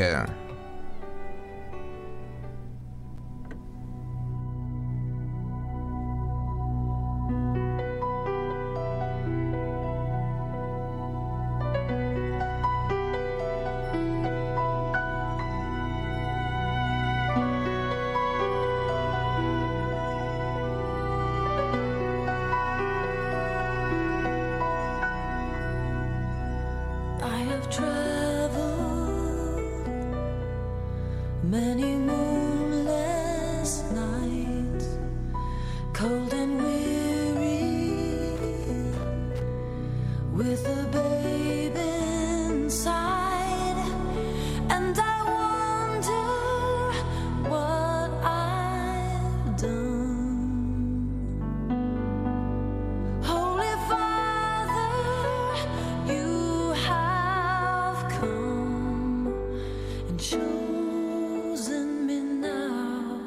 I have traveled many moonless nights, cold and weary, with a babe inside, and I wonder what I've done. Holy Father, you have come and chosen me now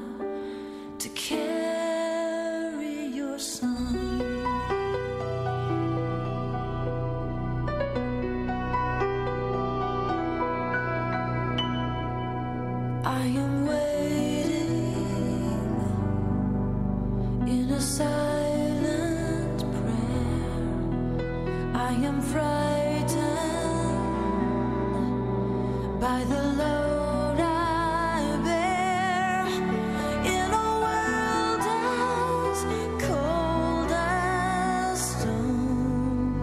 to carry your son. I am waiting in a silent prayer. I am frightened by the load I bear in a world as cold as stone.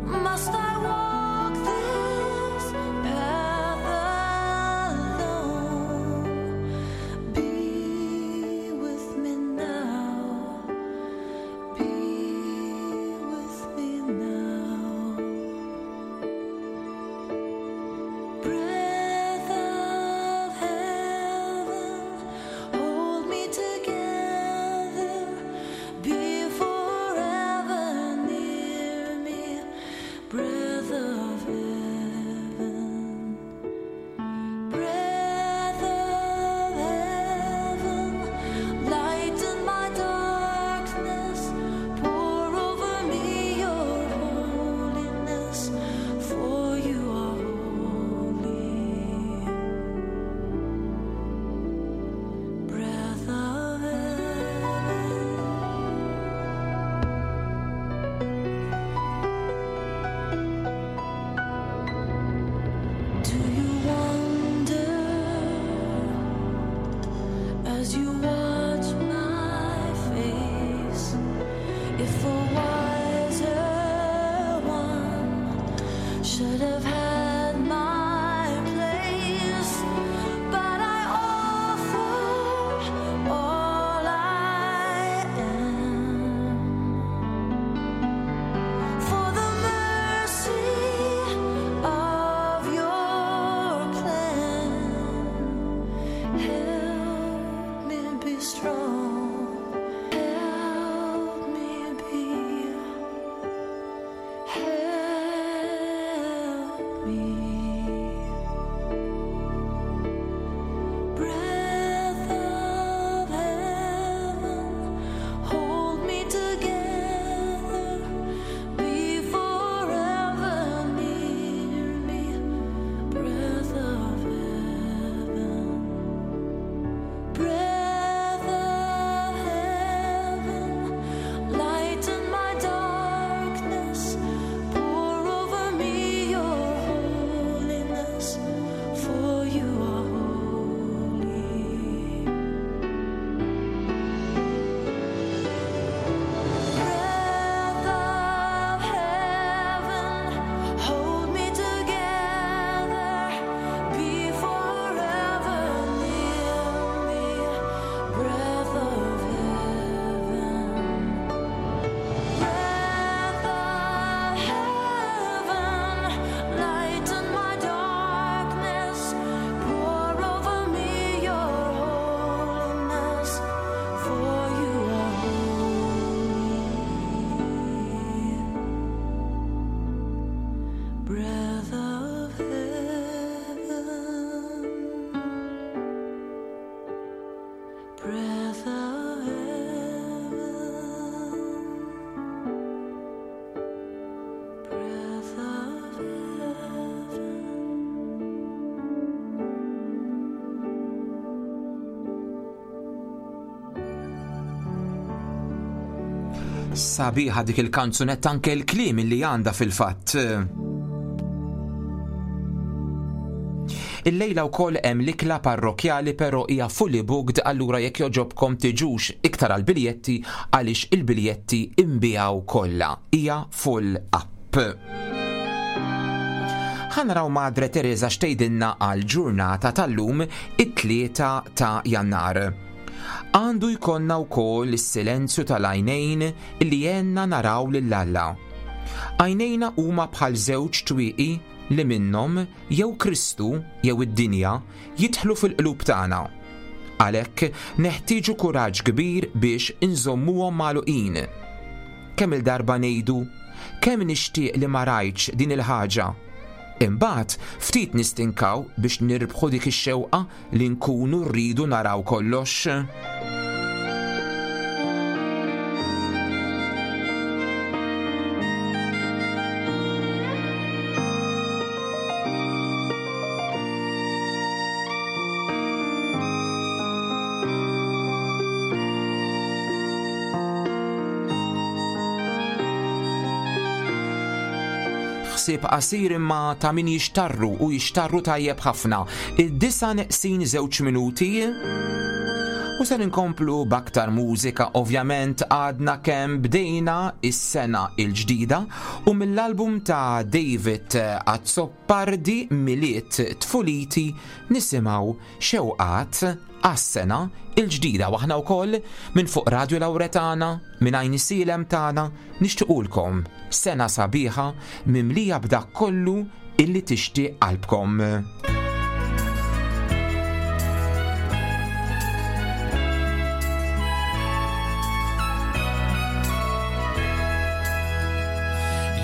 Must I walk this path alone? Be with me now. Be with me now. Breath of heaven, hold me together. Be forever near me. Breath of heaven. Breath of heaven, lighten my darkness, pour over me your holiness, for you are holy. Breath of heaven. Do you wonder as you watch my face if a wiser one should have had my place? But I offer all I am for the mercy of your plan. Help me be strong. Help me be. Help me. Breath of heaven, hold me together. Be forever near me, breath of heaven. Breath of Sabiħa dik il-kanzunetta, anke l-kliem li għandha fil-fatt. Illejla wkoll hemm l-ikla parrokjali, però hija fully booked, allura jekk joġobkom tiġux iktar għall-biljetti għaliex il-biljetti imbijaw kollha. Hija full up. Ħa naraw Madre Teresa x'tgħidilna għal ġurnata tal-lum, it-tlieta ta' Jannar. Għandu jkollna wkoll is-silenzju tal-għajnejn li jenna naraw lil Alla. Għajnejna huma bħal żewġ twieqi li minnhom jew Kristu jew id-dinja jidħlu fil-qlub tagħna. Għalhekk neħtieġu kuraġġ kbir biex inżommuhom magħluqin. Kemm il-darba ngħidu, kemm nixtieq li ma rajtx din il-ħaġa. Imbagħad ftit nistinkaw biex nirbħu dik ix-xewqa li nkunu rridu naraw kollox. Ħsieb qasir imma ta' min jixtarru u jixtarru tajjeb ħafna. Id-disa neqsin żewġ minuti u se nkomplu b'aktar mużika. Ovvjament għadna kemm bdejna is-sena il-ġdida u mill-album ta' David Azzopardi Milied Tfuliti nisimgħu xewqat għas-sena il-ġdida. Waħna wkoll minn fuq Radio Lauretana, minn Għajn Silem tagħna, nixtiequlkom sena sabiħa mimlija b'dak kollu illi tixtieq qalbkom.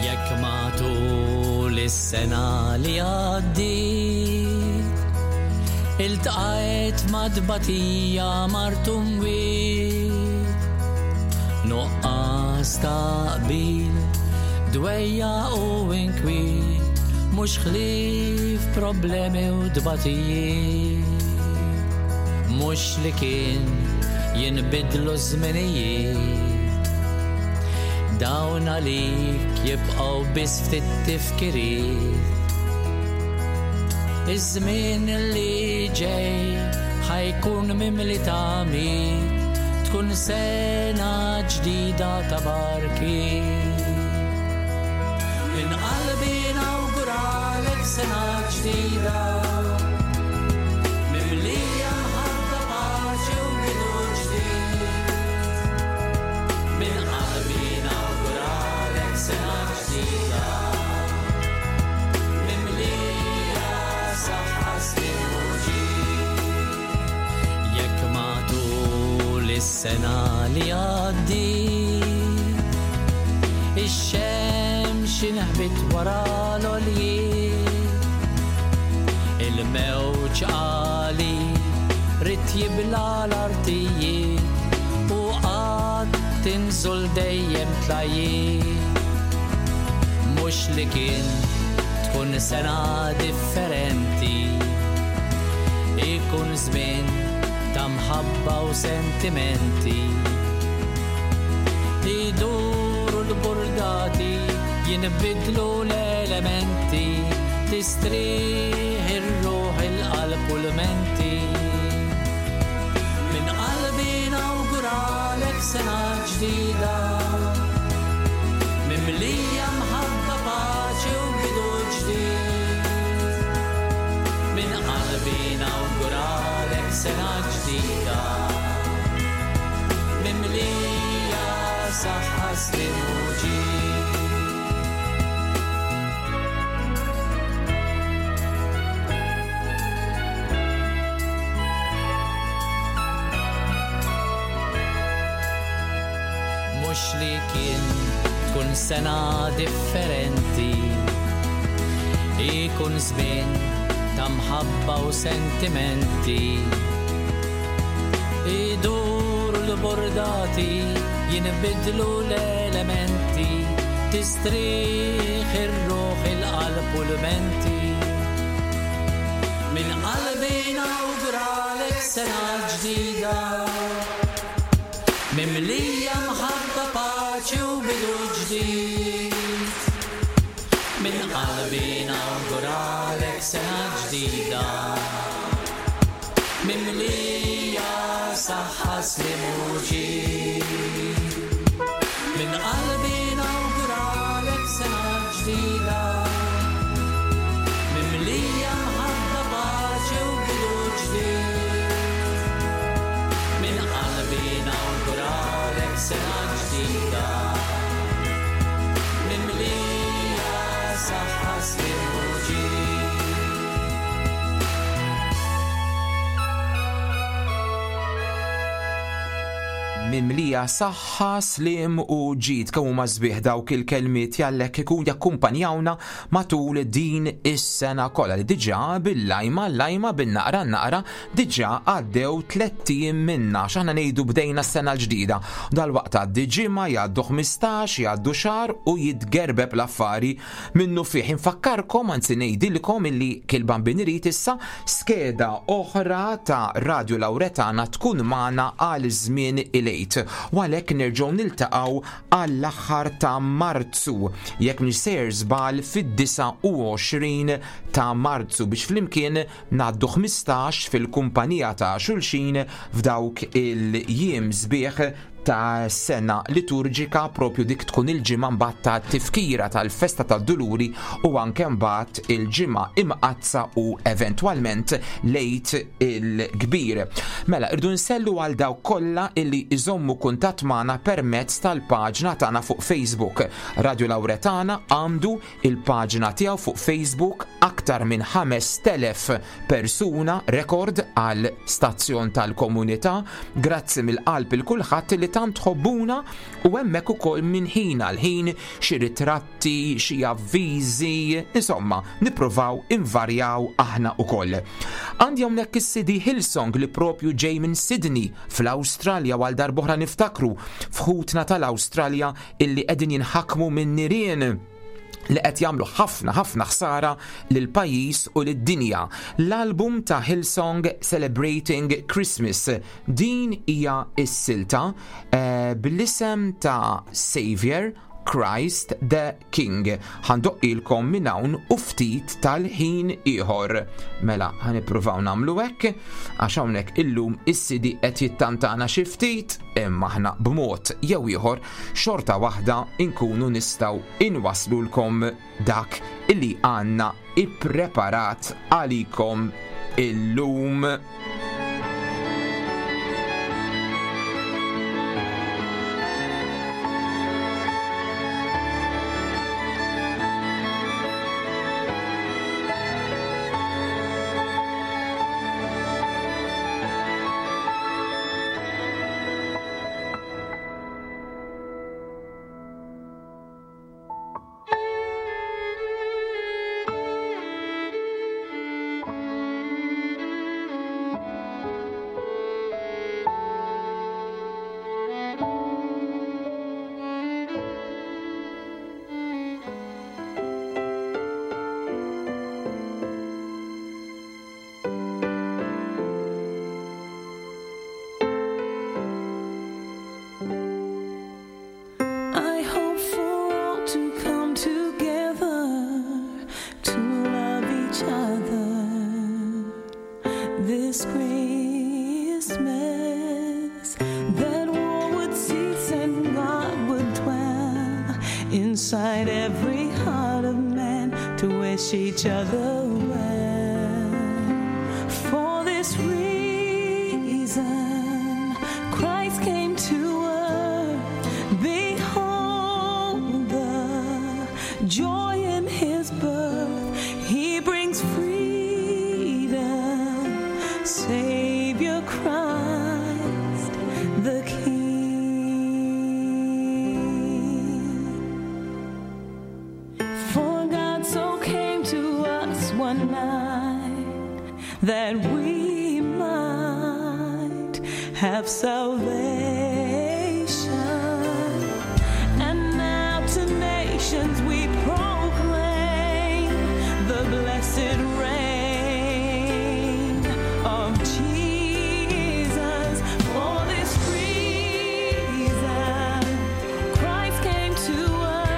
Jekk matul is-sena li għaddiet iltqajt ma' tbatija martum wiet, nuqqas ta' qbil, dwejja u inkwiet, mhux ħlief problemi u tbatijiet. Mhux li kien jinbidlu żminijiet, dawn għalik jibqgħu biss ftit tifkiriet. Iż-żmien li ġej ħajkun mimli tamiet, tkun sena ġdida ta' barkiet. Minn qalbi nawguralek sena ġdida, mimlija mħabba, paċi u bidu ġdid. Minn qalbi nawguralek sena ġdida, mimlija saħħa, sliem u ġid. Jekk matul is-sena li għaddiet ix-xemx inħbit wara l-għoljiet, il-mewġ għali rid jibla l-artijiet u qatt tinżul dejjem tlajiet. Mhux li kien tkun sena differenti, ikun żmien ta' mħabba u sentimenti. Iduru l-burdati, jinbidlu l-elementi, tistrieħ ir-ruħ, il-qalb u l-menti. Minn qalbi nawguralek sena ġdida, mimlija mħabba, paċi u bidu ġdid. Minn qalbi nawguralek sena ġdida, mimlija saħħa, sliem u ġid. Mhux li kien tkun sena differenti, ikun żmien ta' mħabba u sentimenti. Iduru l-bordati, jinbidlu l-elementi, tistrieħ ir-ruħ, il-qalb u l-menti. Minn qalbi nawguralek sena ġdida, mimlija mħabba, paċi u ġdid. Minn qalbi nawguralek sena ġdida. Mimlija saħħa sliem u ġid. Minn qalbi nawguralek sena ġdida. Mimlija mħabba paċi u bidu ġdid. Minn qalbi nawguralek sena ġdida. Mimlija saħħa sliem u ġid. Mimlija saħħa, sliem u ġid. Kemm huma sbieħ dawk il-kelmiet jallek ikun jakkumpanjawna matul din is-sena kollha li diġà bil-lajma lajma bin-naqra naqra diġà għaddew tlett ijiem minna x'aħna ngħidu bdejna s-sena l-ġdida. Dalwaqt għaddi ġimgħa, jgħaddu ħmistax, jgħaddu xahar u jitgerbeb l-affari minnu fih. Infakkarkom, anzi ngħidilkom illi kil-Bambin irid issa skeda oħra ta' Radio Lauretana tkun magħna għal żmien il-Għid. U għalhekk nerġgħu niltaqgħu għall-aħħar ta' Marzu, jekk mhix sejjer żball fid-disgħa u għoxrin ta' Marzu, biex flimkien ngħaddu ħmistax fil-kumpanija ta' xulxin f'dawk il-jiem sbieħ ta' sena liturġika, propju dik tkun il-ġimgħa mbagħad ta' tifkira tal-festa tad-Duluri u anke mbagħad il-ġimgħa imqaddsa u eventwalment lejt il-kbir. Mela, irdu nsellu għal dawk kollha illi iżommu kuntatt magħna permezz tal-paġna tagħna fuq Facebook. Radio Lauretana għandu il-paġna tiegħu fuq Facebook, aktar minn ħamest elef persuna, rekord għal stazzjon tal-komunità. Grazzi mill-qalb il kulħadd li tant tħobbuna u hemmhekk ukoll minn ħin għal ħin xi ritratti, xi avviżi, insomma, nippruvaw invarjaw aħna ukoll. Għandi hawnhekk is-C D Hillsong li propju ġej minn Sydney fl-Awstralja, għal darb'oħra niftakru f'ħutna tal-Awstralja illi qegħdin jinħakmu minn nirien li qed jagħmlu ħafna ħafna ħsara lil pajjiż u lid-dinja. L-album ta' Hillsong Celebrating Christmas, din hija s-silta, eh, bl-isem ta' Savior Christ the King. Ħa ndoqqilkom minn hawn u ftit tal-ħin ieħor. Mela, ħa nippruvaw nagħmlu hekk, għax hawnhekk illum is-C D qed jittantana xi ftit, imma aħna b'mod jew ieħor xorta waħda inkunu nistgħu inwaslulkom dak illi għandna ippreparat għalikom illum. I hope for all to come together to love each other this Christmas, that war would cease and God would dwell inside every heart of man to wish each other well. For this reason, Christ came to earth. Behold the joy in his birth. He brings freedom, Savior Christ the King. For God so came to us one night that we might have salvation. And now to nations we proclaim the blessed reign of Jesus. For this reason, Christ came to earth.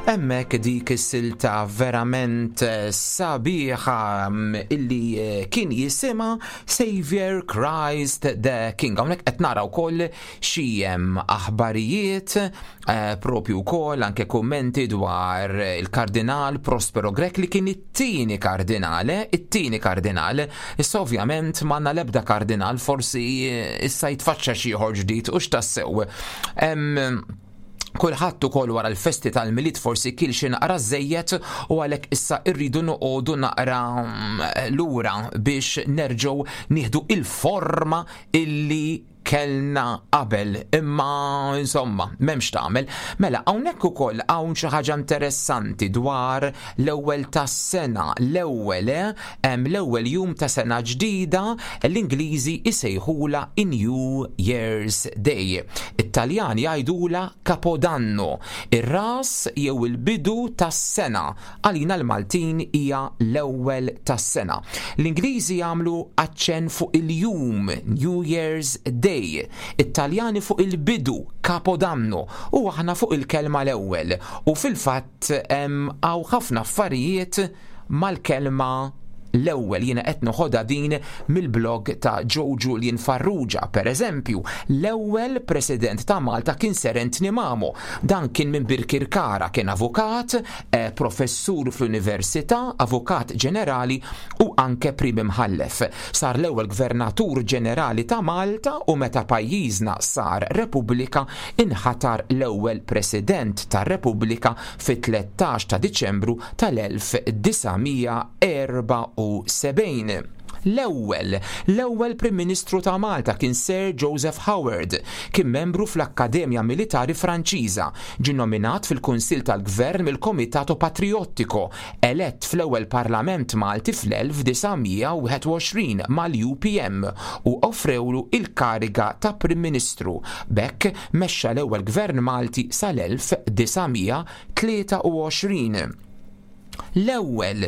Hemmhekk dik is-silta verament sabiħa illi kien jisimha Savior Christ the King. Hawnhekk qed nara wkoll xi aħbarijiet propju wkoll anke kummenti dwar il-Kardinal Prospero Grech li kien it-tieni kardinale, it-tieni kardinal. Issa ovvjament m'għandna l-ebda kardinal, forsi issa jitfaċċa xi ieħor ġdid u x'tassew. Kulħadd ukoll wara l-festi tal-Milied forsi kien xi naqra żejjed u għalhekk issa rridu noqogħdu naqra lura biex nerġgħu nieħdu il-forma illi kellna qabel, imma insomma m'hemmx tagħmel. Mela hawnhekk ukoll hawn xi ħaġa interessanti dwar l-ewwel tas-sena, l-ewwel hemm l-ewwel jum ta' sena ġdida l-Ingliżi isejħula New Year's Day. It-Taljani jgħidula Capodanno, ir-ras jew il-bidu tas-sena. Għalina l-Maltin hija l-ewwel tas-sena. L-Ingliżi jagħmlu aċċenn fuq il-jum New Year's Day, It-Taljani fuq il-bidu Capodanno u aħna fuq il-kelma l-ewwel. U fil-fatt hawn ħafna affarijiet mal-kelma l-ewwel. Jiena qed noħodha din mill-blog ta' Joe Julian Farrugia. Per eżempju, l-ewwel President ta' Malta kien Sir Anthony Mamo. Dan kien minn Birkirkara, kien avukat, eh, professur fl-Università, avukat ġenerali u anke prim imħallef. Sar l-ewwel Gvernatur Ġenerali ta' Malta u meta pajjiżna sar Repubblika inħatar l-ewwel President tar-Repubblika fit-tlettax ta' Diċembru tal-elf disa' mija erba' u sebgħin. L-ewwel, l-ewwel Prim Ministru ta' Malta kien Sir Joseph Howard, kien membru fl-Akkademja Militari Franċiża, ġie nominat fil-Kunsill tal-Gvern mill-Komitato Patriottico, elett fl-ewwel Parlament Malti fl-elf disa' mija wieħed u għoxrin mal-U P M u offrewlu il-kariga ta' Prim Ministru. B'hekk mexxa l-ewwel Gvern Malti sal-elf disa' mija tlieta u għoxrin. L-ewwel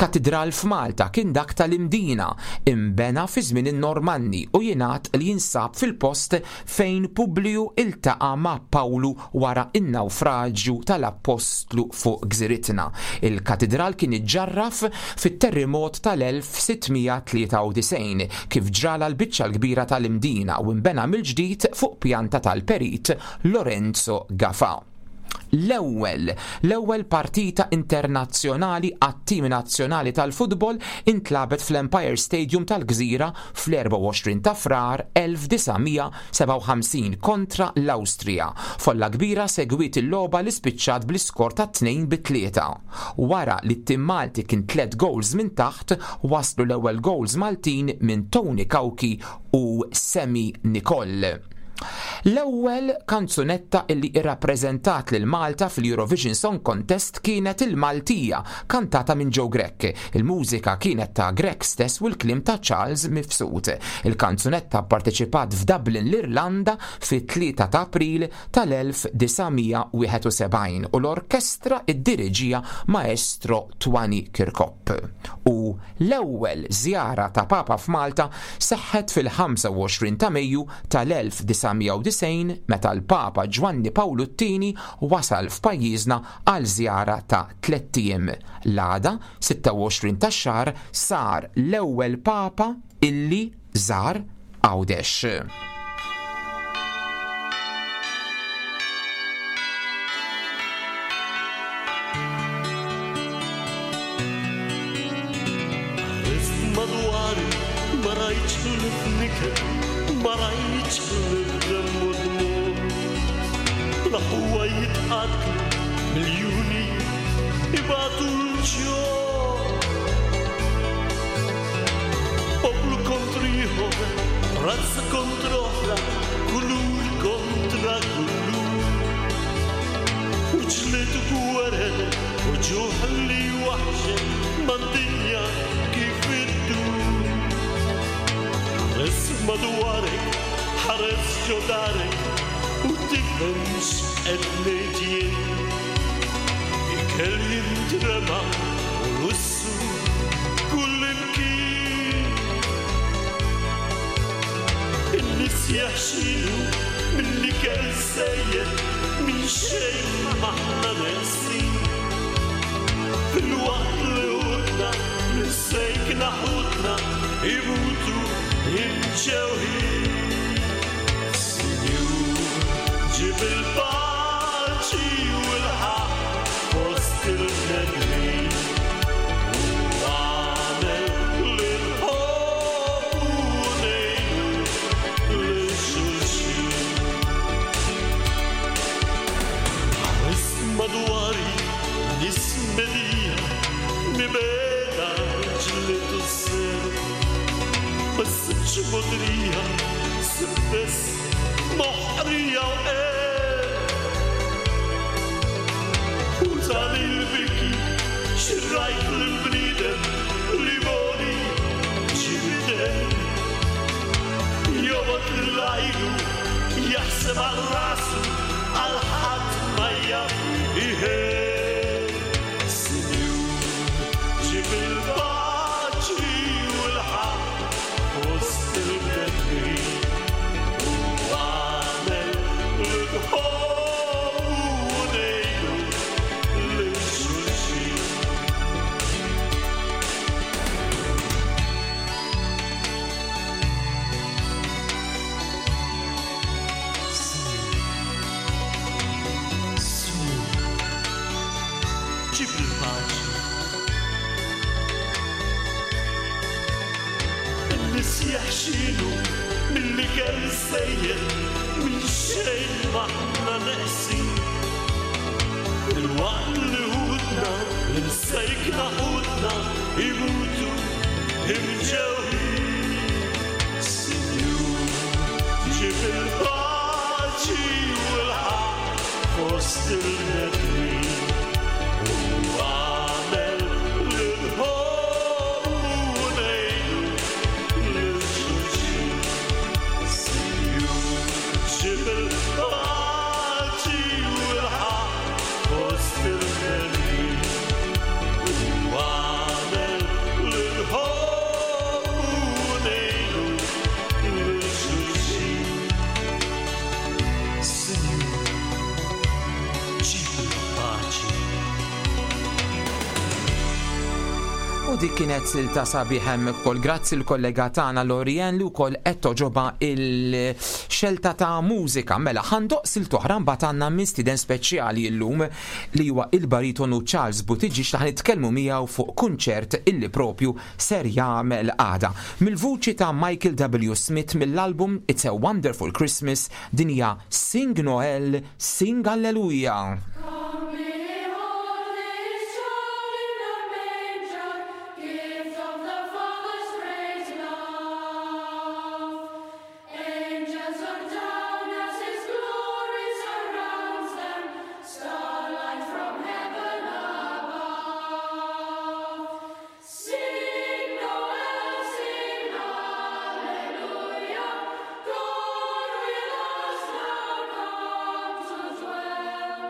katedral f'Malta kien dak tal-Imdina, imbena fi żmien in-Normanni u jingħad li jinsab fil-post fejn Publiju iltaqa' ma' Pawlu wara n-nawfraġġju tal-Appostlu fuq gżiritna. Il-katedral kien iġġarraf fit-terremot tal-elf sitt mija tlieta u disgħin kif ġrala l-biċċa l-kbira tal-Imdina u imbena mill-ġdid fuq pjanta tal-perit Lorenzo Gafà. L-ewwel, l-ewwel partita internazzjonali għat-tim nazzjonali tal-futbol intlabet fl-Empire Stadium tal-Gżira fl-erbgħa u għoxrin ta' Frar elf disa' mija sebgħa u ħamsin kontra l-Awstrija. Folla kbira segwit il-logħba li spiċċat bl-iskor ta' tnejn bi tlieta. Wara li t-tim Malti kien tliet goals minn taħt, waslu l-ewwel goals Maltin minn Tony Cauchi u Semi Nicol. L-ewwel kanzunetta illi irrappreżentat lil Malta fil-Eurovision Song Contest kienet il-Maltija, kantata minn Joe Grech. Il-mużika kienet ta' Grech stess u l-kliem ta' Charles Mifsud. Il-kanzunetta pparteċipat f'Dublin l-Irlanda fit-tlieta ta' April tal-elf disa' mija wieħed u sebgħin u l-orkestra iddiriġija Maestro Twani Kirkop. U l-ewwel żjara ta' Papa f'Malta seħħet fil-ħamsa u għoxrin ta' Mejju tal-elf disa' mija u disgħin meta l-Papa Ġwanni Pawlu t-tieni wasal f'pajjiżna għal żjara ta' tlett ijiem. L-għada, sitta u għoxrin tax-xahar, sar l-ewwel Papa illi żar Għawdex. Madwari ma rajtx l-fniker, ma rajtx l-dam u dmur. L-aħwa jitqatlu miljuni ibatu l-ġor. Poplu kontri ieħor, razza kontra oħra, kulur kontra kulur. U ġlied u gwerer, u ġuħ li waħxet mad-dinja kif iddur. Ħares madwarek, ħares ġo darek, u tifhemx qed ngħid jien. Ikel jintrema u lussu kull imkien. In-nies jaħxilu milli kell sejjed minn xejn m'aħna neqsin. Fil-waqt li ħutna msejkna ħutna imutu imġewħin. Sinjur, ġib il-paċi u l-ħaqq fost il-bnedmin. U għamel li nħobbu u ngħinu lil xulxin. Ħares madwari nies medija mibeda ġlied u s-seru. Ma ssibx mogħdrija, ssib biss moħqrija u qerq. U dan il-biki xirrajt l-bniedem li moli ġibidem. Jobgħod lil-għajru, jaħseb għal rasu, għal ħadd ma jaf iħen. Sinjur, ġib il-paċi u l-ħaqq fost il-bnedmin. U għamel li nħobbu u ngħinu lil xulxin. Sinjur, Sinjur, ġib il-paċi. In-nies jaħxilu mill-ikel sejjer, minn xejn m'aħna neqsin. Il-waqt li ħutna, l-imsejkna ħutna, imutu imġewħin. Sinjur, ġib il-paċi u l-ħaqq fost il-bnedmin. U għamel li nħobbu u ngħinu lil xulxin. Sinjur, ġib il-paċi u l-ħaqq fost il-bnedmin. U għamel li nħobbu u ngħinu lil xulxin. Sinjur, ġib il-paċi. U dik kienet silta sabiħ hemmhekk ukoll grazzi l-kollega tagħna Lorien li wkoll qed toġoba il-xelta ta' mużika. Mela ħandoq silt oħra mbagħad għandna mistieden speċjali llum li huwa il-baritonu Charles Buttigieg li ħanitkellmu miegħu fuq kunċert illi propju ser jagħmel għada. Mill-vuċi ta' Michael W. Smith mill-album It's a Wonderful Christmas din hija Sing Noel, Sing Alleluia. Sing Noel, sing Hallelujah, God with us now come to dwell.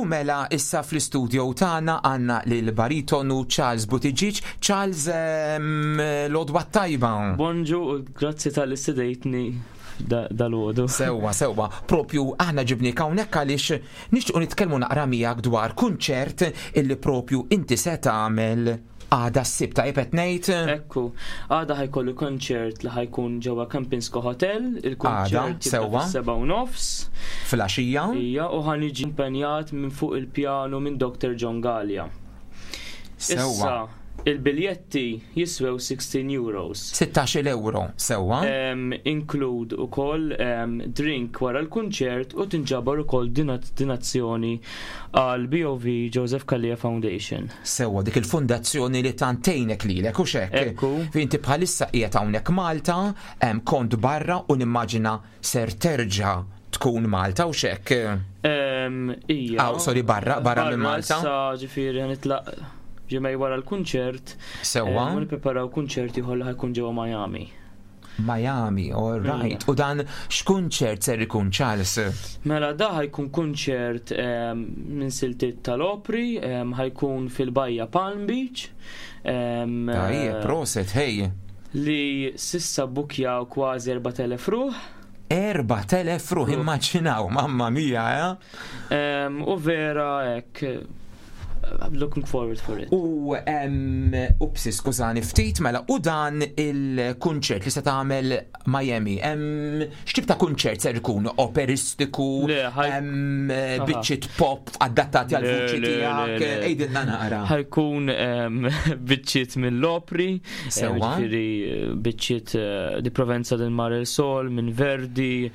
U mela issa fl-istudio tagħna għandna lil baritonu Charles Buttigieg. Charles, ehm, l-għodwa tajba. Bonġu, u grazzi talli stedintni dalgħodu. Sewwa, sewwa, propju aħna ġibnik hawnhekk għaliex nixtiequ nitkellmu naqra miegħek dwar kunċert illi propju inti se tagħmel għada s-Sibt, tajjeb qed ngħid? Ekku, għada ħa jkollu konċert li ħa jkun ġewwa Kempinski Hotel, il-konċert sewwa. seba' u nofs. Filgħaxija. Ija, u ħa niġi akkumpanjat minn fuq il-pjanu minn Doctor John Gallia. Sewwa. Issa, il-biljetti jiswew sittax-il euros. sittax-il euro, sewwa. Um, include ukoll um, drink wara l-kunċert u tinġabar ukoll dinat donazzjoni għal B O V Joseph Calleja Foundation. Sewwa, dik il-fundazzjoni li tant tgħinek lilek u xek. Ekku. Inti bħalissa qiegħed hawnhekk Malta, em, kont barra u nimmaġina ser terġa' tkun Malta u xek. Um, ija. Aw, sorry, barra, barra minn Malta. Issa ġifieri nitlaq ġimgħa wara l-kunċert. Sewwa. U nippreparaw kunċert ieħor li ħa jkun ġewwa Miami. Miami, all right. U dan x'kunċert ser ikun, Charles? Mela da ħa jkun kunċert em, minn siltiet tal-opri, em, ħa jkun fil-Bajja Palm Beach. em, Tajjeb, proset, hej. Li s'issa bukjaw kważi erbat elef ruħ. erbat elef ruħ, immaġinaw, mamma mia, eh? Em, U vera hekk, I'm looking forward for it. U em, upsi, skużani ftit, mela, u dan il-kunċert li se tagħmel Miami, em, x'tip ta' kunċert ser ikun? Operistiku, em, biċċiet pop adattati għal vuċi Le, le, tiegħek, le, le. għidilna naqra. Ħa jkun em, biċċiet mill-opri, Sewwa. ġifieri biċċiet eh, di Provenza del Mare il Sol, minn Verdi,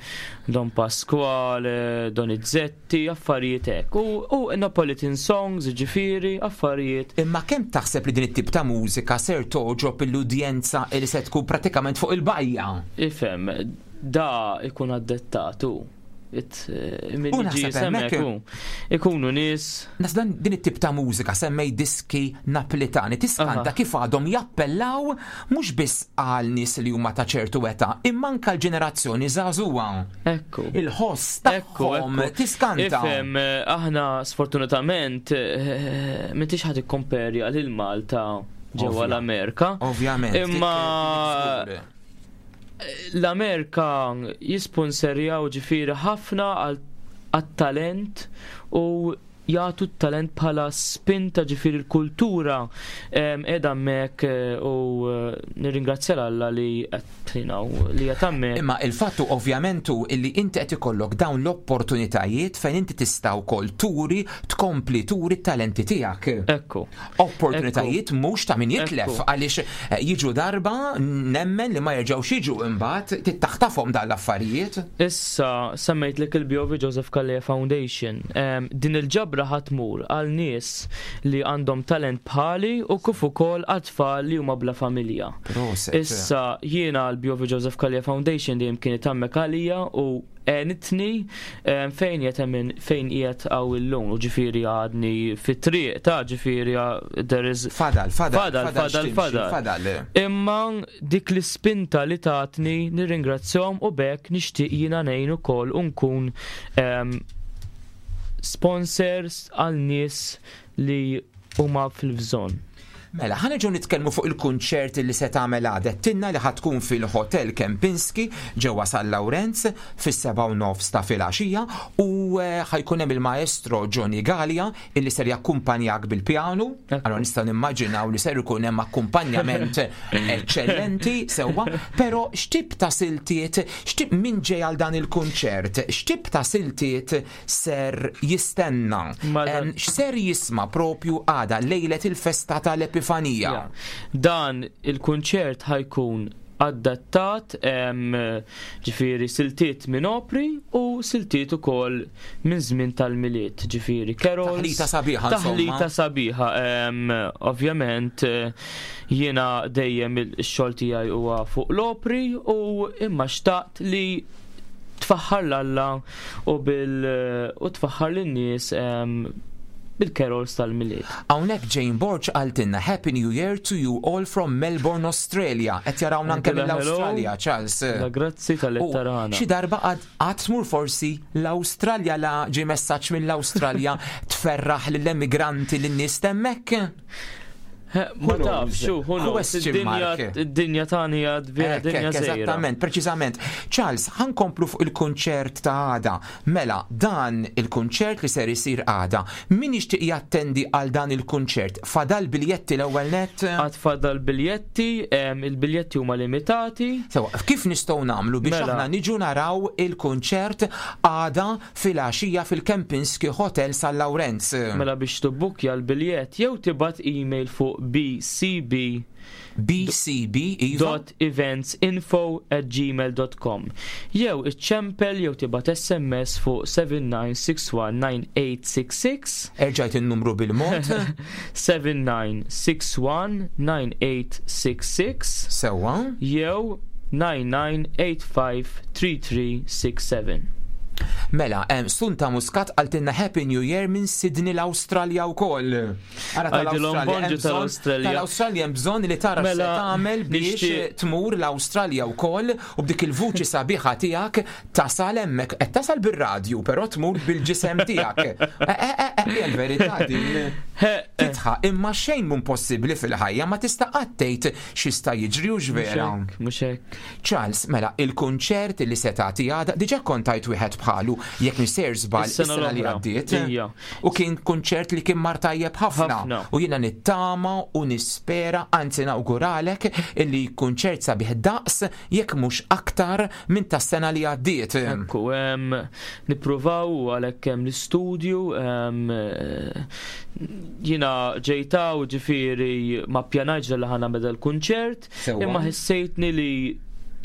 Don Pasquale, Donizetti, affarijiet hekk. U, u Neapolitan songs, ġifieri, affarijiet. Imma kemm taħseb li din it-tip ta' mużika ser toġob l-udjenza li se tkun pratikament fuq il-bajja? Ifhem, da ikun adattatu. It, eh, min U jiġi naħseb semmek hemmhekk- u. Ikunu nies. Nas dan din it-tip ta' mużika, semmej diski Naplitani, tiskanta kif għadhom jappellaw mhux biss għal nies li huma ta' ċertu età, imma anke l-ġenerazzjoni żagħżugħa. Ekku. Il-ħoss tagħhom tiskanta. Ifhem, eh, aħna sfortunatament eh, m'intix ħa tikkomperja lil Malta ġewwa Ovvja. l-Amerika. Ovvjament. Imma l-Amerika jisponserjaw ġifieri ħafna għal għat-talent u jagħtu t-talent bħala spinta, ġifieri l-kultura em, qiegħda hemmhekk eh, u eh, nirringrazzja Alla li qed you know, li qed hemmhekk. Imma il-fattu ovvjament hu illi inti qed ikollok dawn l-opportunitajiet fejn inti tista' wkoll turi, tkompli turi t-talenti tiegħek. Ekku. Opportunitajiet mhux ta' min jitlef Ekku. għaliex eh, jiġu darba, nemmen li ma jerġgħux jiġu imbagħad tittaħtafhom dan l-affarijiet. Issa semmejt lek il-B O V Joseph Calleja Foundation. Em, din il-ġabra ħa tmur għal nies li għandhom talent bħali u kif ukoll għat-tfal li huma bla familja. Proset. Issa jiena l-B O V Joseph Calleja Foundation dejjem kienet hemmhekk għalija u għenitni em, fejn qiegħed hemm, fejn qiegħed hawn illum u ġifieri għadni fit-triq ta' ġifieri there is Fadal, fadal, fadal, fadal, x'timxi, fadal. Fadal. Imma dik l-ispinta li tatni nirringrazzjahom u b'hekk nixtieq jiena ngħin ukoll u nkun em, sponsors għal nies li huma fil-bżonn. Mela, ħa nerġgħu nitkellmu fuq il-kunċert li se tagħmel għada. Tinna li ħa tkun fil-Hotel Kempinski ġewwa San Lawrenz fis-seba' u nofs ta' filgħaxija u eh, ħa jkun hemm il-maestro Johnny Gallia illi ser jakkumpanjak bil-pjanu. Allora nistgħu nimmaġinaw li ser ikun hemm akkumpanjament eċċellenti sewwa, però x'tip ta' siltiet, x'tip min ġej għal dan il-kunċert, x'tip ta' siltiet ser jistenna? Em, X'ser jisma' propju għada lejlet il-festa tal-Epifanija? Ja. Dan il-kunċert ħa jkun adattat em, ġifieri siltiet minn opri u siltiet ukoll minn żmien tal-Milied, ġifieri carols. Taħlita sabiħa, insomma. Taħlita sabiħa. em, Ovvjament eh, jiena dejjem il-xogħol tiegħi huwa fuq l-opri u imma xtaqt li tfaħħar 'l Alla u bil u tfaħħar lin-nies em, bil-carols tal-Milied. Hawnhekk Jane Borg qaltilna Happy New Year to you all from Melbourne, Australia. Qed jarawna anke Għandilha hello. mill-Awstralja, Charles. La grazzi tal U tarana. Xi darba għad għad tmur forsi l-Awstralja la ġie messaġġ mill-Awstralja tferraħ lill-emigranti lin-nies t'hemmhekk? Ma taf, xu, who knows, Question id-dinja mark. id-dinja tani għad vera Ek, dinja ek, żgħira. Eżattament, preċiżament. Charles, ħa nkomplu fuq il-kunċert ta' għada. Mela, dan il-kunċert li ser isir għada. Min jixtieq jattendi għal dan il-kunċert? Fadal biljetti l-ewwel net? Għad fadal biljetti, em, il-biljetti huma limitati. Sewa, kif nistgħu nagħmlu biex Mela. aħna niġu naraw il-kunċert għada fil-għaxija fil-Kempinski Hotel San Lawrenz? Mela biex tibbukkja l-biljett jew tibgħat email fuq bcb bcb iva dot eventsinfo at gmail dot com jew iċċempel jew tibgħat sms fuq seven nine six one nine eight six six. Erġajt in-numru bil-mod. seven nine six one nine eight six six. Sewwa. Jew nine nine eight five three three six seven. Mela, em, Sunta Muscat qaltilna Happy New Year minn Sydney l-Awstralja wkoll. Ara Għajdilhom tal-Awstralja, bonġu hemm bżonn- tal-Awstralja. Tal-Awstralja hemm bżonn li tara x'se Mela, tagħmel biex nixtieq- tmur l-Awstralja wkoll u b'dik il-vuċi sabiħa tiegħek tasal hemmhekk. Qed tasal bir-radju, però tmur bil-ġisem tiegħek. Eh, eh, eh, eh, hija l-verità din. Titħaq imma xejn mhu possibbli fil-ħajja ma tista' qatt tgħid x'jista' jiġri u x'vera. Mhux hekk. Charles, mela, il-kunċert li se tagħti għada, diġà kont tajt wieħed bħalu, jekk nisser żball Is-sena is-sena li l-oħra. għaddiet. Ija. U kien kunċert li kien mar tajjeb ħafna. Ħafna. U jiena nittama u nispera, anzi nawguralek illi kunċert sabiħ daqs jekk mhux aktar minn tas-sena li għaddiet. Ekku, em, nippruvaw u għalhekk hemm l-istudju, em, eh, jiena ġejtaw ġifieri ma ppjanajtx li ħa nagħmel l-kunċert, Sewwa. imma ħissejtni li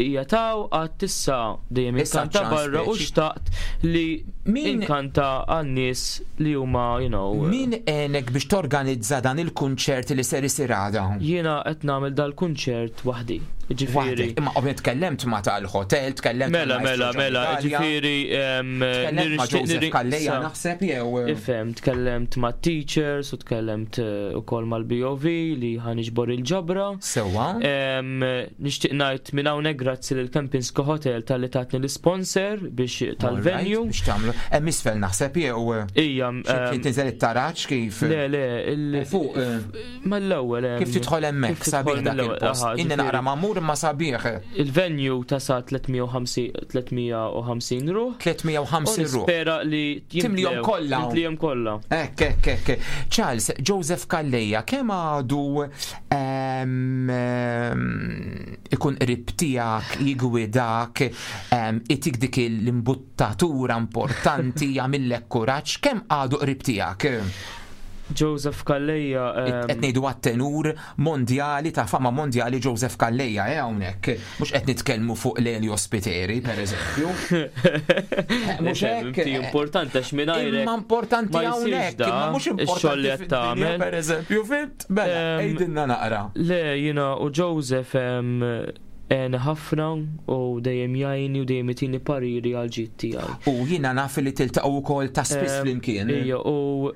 hija taw għad tissa dejjem Issa inkanta ċans barra u speċi. xtaqt li inkanta għan-nies li huma, you know, Min għenek biex torganizza dan il-kunċert li ser isir għada? jiena qed nagħmel dal-kunċert waħdi. Ġifieri. Waħdek, imma ovvjament tkellemt ma tal-hotel, tkellemt Mela, ma' mela, Maestro mela, John Italia. ġifieri em, Tkellemt ma' nirixtieq Joseph nirri- Calleja sa- naħseb jew. Ifhem, tkellemt ma' teachers u tkellemt eh, ukoll mal-B O V li ħa niġbor il-ġabra. Sewwa. Em, Nixtieq ngħid minn hawnhekk grazzi lil Kempinski Hotel talli tatni l-sponsor biex tal-venue. Alright, biex tagħmlu. Hemm isfel naħseb jew. Ija, Xi em, tinżel it-taraġ kif? Le, le, il- Fuq. eh, Mal-ewwel hemm- Kif tidħol hemmhekk kif tidħol sabiħ dak mill-ewwel, il-post. aha, Inni ġifieri- naqra magħmur imma sabiħ. Il-venue ta' sa tliet mija u ħamsin ruħ. tliet mija u ħamsin ruħ. Nispera li Timlihom jimtlew. kollha. Timlihom kollha. Ekk, ekk, ekk. Charles, Joseph Calleja, kemm għadu em, em, ikun qrib tiegħek, jigwidak, em, itik dik l-imbuttatura importanti, jagħmillek kuraġġ, kemm għadu qrib tiegħek? Joseph Calleja. Qed ngħidu għat-tenur mondjali ta' fama mondjali Joseph Calleja eh hawnhekk. Mhux qed nitkellmu fuq Lelio Spiteri, per eżempju. Eh, Mhux hekk. Inti importanti għax mingħajrek. Imma importanti ma jsirx hawnhekk, da, imma mhux ix-xogħol li importanti qed fid-dinja, tagħmel. per eżempju, fint? Mela, Em, għidilna naqra. Le, jiena u Joseph em, għen ħafna u dejjem jgħinni u dejjem itini pariri għal ġid tiegħi. U jiena naf li tiltaqgħu wkoll ta' spiss Em, flimkien. Ija, u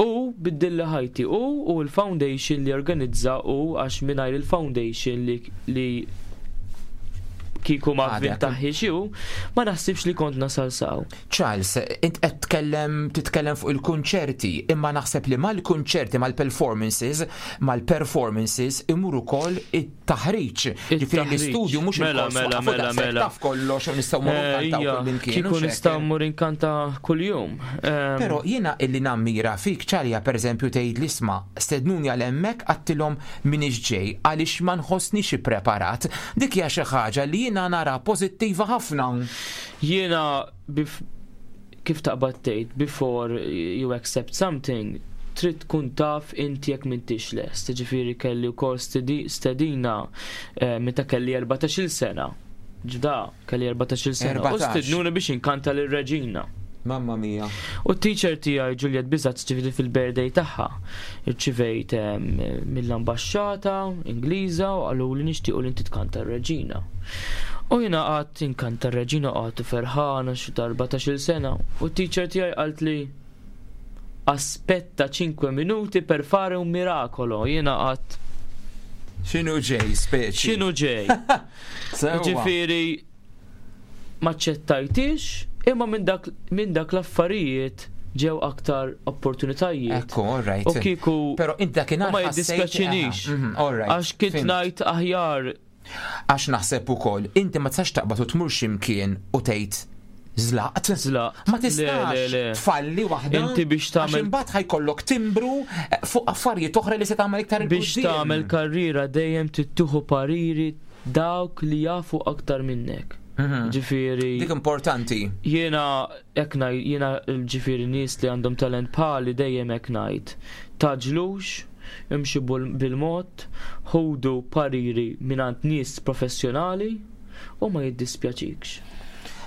u biddilli ħajti u u l-foundation li organizza u għax mingħajr il-foundation li, li kieku ma Għadek. vintaħħiex hu, ma naħsibx li kont nasal saw. Charles, int qed tkellem titkellem fuq il-kunċerti, imma naħseb li mal-kunċerti, mal-performances, mal-performances imur ukoll it-taħriġ. Ġifieri It-taħriġ. l-istudju mhux Mela, il-kors mela, waqfu mela, daqshekk mela. taf kollox u nistgħu mmorru Eh, nkantaw Ija, kullimkien, kieku hux hekk? nistgħu mmur inkanta kuljum. Em, Però jiena illi nammira fik ċarja per eżempju tgħid li isma' stednuni għal hemmhekk għattilhom minix ġej għaliex ma nħossnix ippreparat. Dik hija xi ħaġa li jiena nara pożittiva ħafna. Jiena bif, kif taqbad tgħid before you accept something trid tkun taf inti jekk m'intix lest. Ġifieri kelli wkoll stedi- stedina eh, meta kelli erbatax-il sena. Ġda, kelli erbatax-il sena. U erbatax. stednuni biex inkanta lir-reġina. Mamma mia. U t-teacher tiegħi Juliet Bizat ġifieri fil-birthday tagħha. Irċivejt em, mill-ambaxxata Ingliża u qalu li nixtiequ li inti tkanta r-reġina. U jiena qatt inkanta r-reġina qatt ferħana xi erbatax-il sena. U t-teacher tiegħi qalt li Aspetta cinque minuti per fare un miracolo. Jiena qatt X'inhu ġej, speċi? X'inhu ġej? Sewwa. Ġifieri maċċettajtix, imma minn dak, min dak l-affarijiet ġew aktar opportunitajiet. Ekku, all right. U kieku Pero int dakinhar u ma ħassejt- jiddispjaċinix. Aha, mhm, all right, Għax kint fimt. ngħid aħjar Għax naħseb ukoll, inti ma tistax taqbad u tmur x'imkien u tgħid żlaqt. Żlaqt. Ma tistax Le, le, le. tfalli waħda. Inti biex tagħmel- Għax imbagħad ħa jkollok timbru eh, fuq affarijiet oħra li se tagħmel iktar 'il biex quddiem. tagħmel karriera dejjem tieħu pariri dawk li jafu aktar minnek. Ġifieri. Mhm. Dik importanti. Jiena hekk ngħid, jiena ġifieri nies li għandhom talent bħali dejjem hekk ngħid. Tgħaġġlux, imxi bul- bil-mod, ħudu pariri mingħand nies professjonali u ma jiddispjaċikx.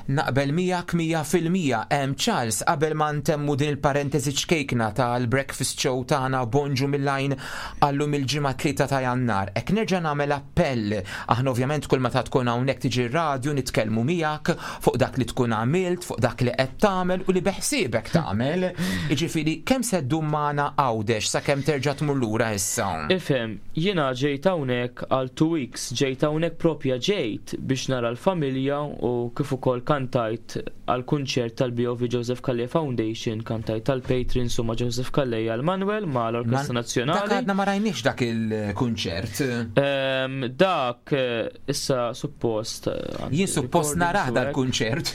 Naqbel miegħek mija fil-mija. Em Charles, qabel ma ntemmu din il-parentesi ċkejkna tal-breakfast show tagħna Bonġu mill-Għajn għal-lum il-Ġimgħa tlieta ta' Jannar. Ek nerġa' nagħmel appell. Aħna ovvjament kull meta tkun hawnhekk tiġi r-radju nitkellmu miegħek fuq dak li tkun għamilt, fuq dak li qed tagħmel u li beħsiebek tagħmel. Jiġifieri kemm se ddum magħna Għawdex sakemm terġa' tmur lura issa? Ifhem, jiena ġejt hawnhekk għal two weeks, ġejt hawnhekk propja ġejt biex nara l-familja u kif ukoll kantajt għal kunċert tal-B O V Joseph Calleja Foundation, kantajt tal-Patrons u ma' Joseph Calleja għal Manuel ma' l-Orkestra Dak Nazzjonali. għadna ma rajniex dak il-kunċert. Ehm, dak eh, issa suppost. eh, Jien suppost recordings narah u hekk. dal-kunċert.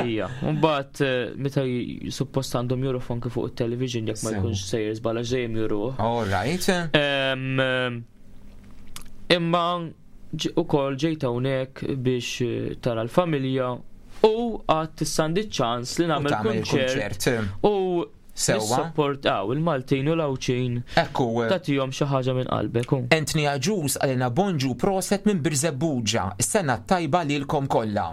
Ija, mbagħad eh, meta j- suppost għandhom juruh anke fuq it-television jekk ma Sew. jkunx sejjer żball għax dejjem juruh. All right. Em, em, Imma ġ- ukoll ġejt hawnhekk biex eh, tara l-familja u għad issa għandi ċans li nagħmel tagħmel kunċert kunċert. u Sewwa. nissapport-aw il-Maltin u l-Għawdxin. Ekku. Tagħtihom xi ħaġa minn qalbek. u. Anthony Agius qalilna bonġu, proset minn Birżebbuġa. Is-sena tajba lilkom kollha.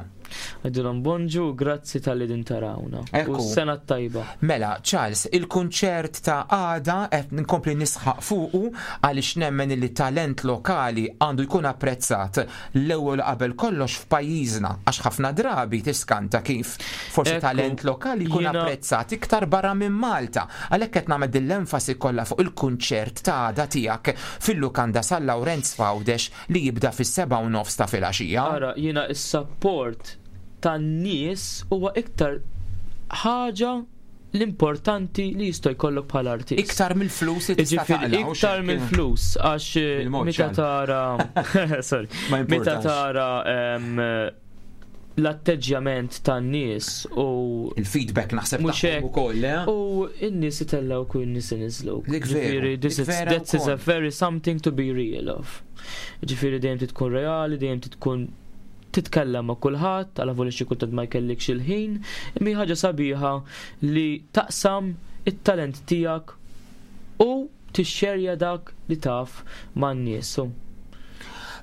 Għidilhom bonġu, grazzi talli din tarawna. U Ekku. s-sena tajba. Mela, Charles, il-kunċert ta' għada qed nkompli nisħaq fuqu għaliex nemmen li talent lokali għandu jkun apprezzat l-ewwel qabel kollox f'pajjiżna, għax ħafna drabi tiskanta kif forsi Ekku, talent lokali jkun jiena- apprezzat iktar barra minn Malta. Għalhekk qed nagħmel din l-enfasi kollha fuq il-kunċert ta' għada tiegħek fil-Lukanda San Lawrenz f'Għawdex li jibda fis-seba' u nofs ta' filgħaxija. Ara, jiena is-support tan-nies huwa iktar ħaġa l-importanti li jista' jkollok bħala artist. Iktar mill-flus li tista' Ġifieri, taqla' u iktar xek. mill-flus, għax eh, Bil-mod meta ċan. tara sorry, Ma meta importax. tara em, l-atteġġjament tan-nies u il-feedback naħseb mhux tagħhom hekk, ukoll, eh? U n-nies itellgħu u n-nies iniżluk. Dik veru, Ġifieri, this dik is vera that is a wkoll. very something to be real of. Ġifieri dejjem tkun reali, dejjem tkun titkellem ma' kulħadd, għala voli xi kultant ma jkellikx il-ħin, imma hi ħaġa sabiħa li taqsam it-talent tiegħek u tixxerja dak li taf man-nies. U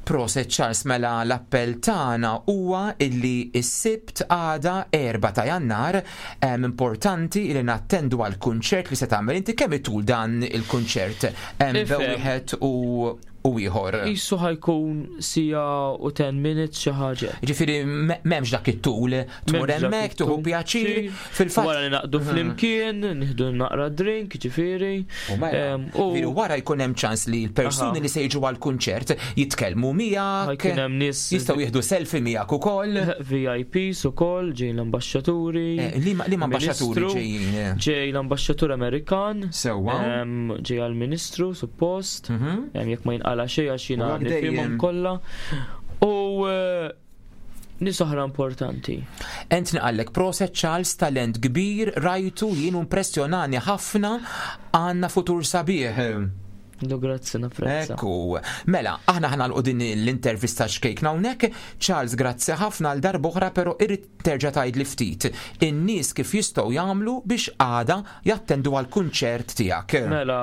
Proset Charles, mela l-appell tagħna huwa illi s-Sibt għada erba' ta' Jannar em, importanti li nattendu għal kunċert li se tagħmel inti. Kemm itul dan il-kunċert? Hemm Ifhem. wieħed u u ieħor. Qisu ħa jkun siegħa u ten minutes, xi ħaġa. Ġifieri me- m'hemmx dak it-tul, tmur M'hemmx dak hemmhekk tieħu it-tul. pjaċir. Xi- Fil-fatt Wara li naqdu Mhm. flimkien, nieħdu naqra drink, ġifieri. U mela, Em, u ġifieri wara jkun hemm ċans li l-persuni Aha. li se jiġu għall-kunċert jitkellmu miegħek, Ħa jkun hemm nies jistgħu jieħdu selfie miegħek ukoll. V I Ps ukoll, ġej l-ambaxxaturi. Eh, Liema liema ambaxxaturi Ministru, ġejjin? eh? Ġej l-ambaxxatur Amerikan. Sewwa. Em, Ġej għal-Ministru, suppost. Mhm. Em, Jekk ma jinqala xejn għax jiena U għak nifhimhom dejjem. kollha. U eh, nies oħra importanti. Anthony qallek proset Charles, talent kbir, rajtu jien, impressjonani ħafna, għandna futur sabiħ. Lu grazzi, napprezza. Ekku, mela, aħna ħa nagħlqu din l-intervista xkejkna hawnhekk. Charles, grazzi ħafna għal darb'oħra, però irrid terġa' tgħid li ftit in-nies kif jistgħu jagħmlu biex għada jattendu għal kunċert tiegħek. Mela,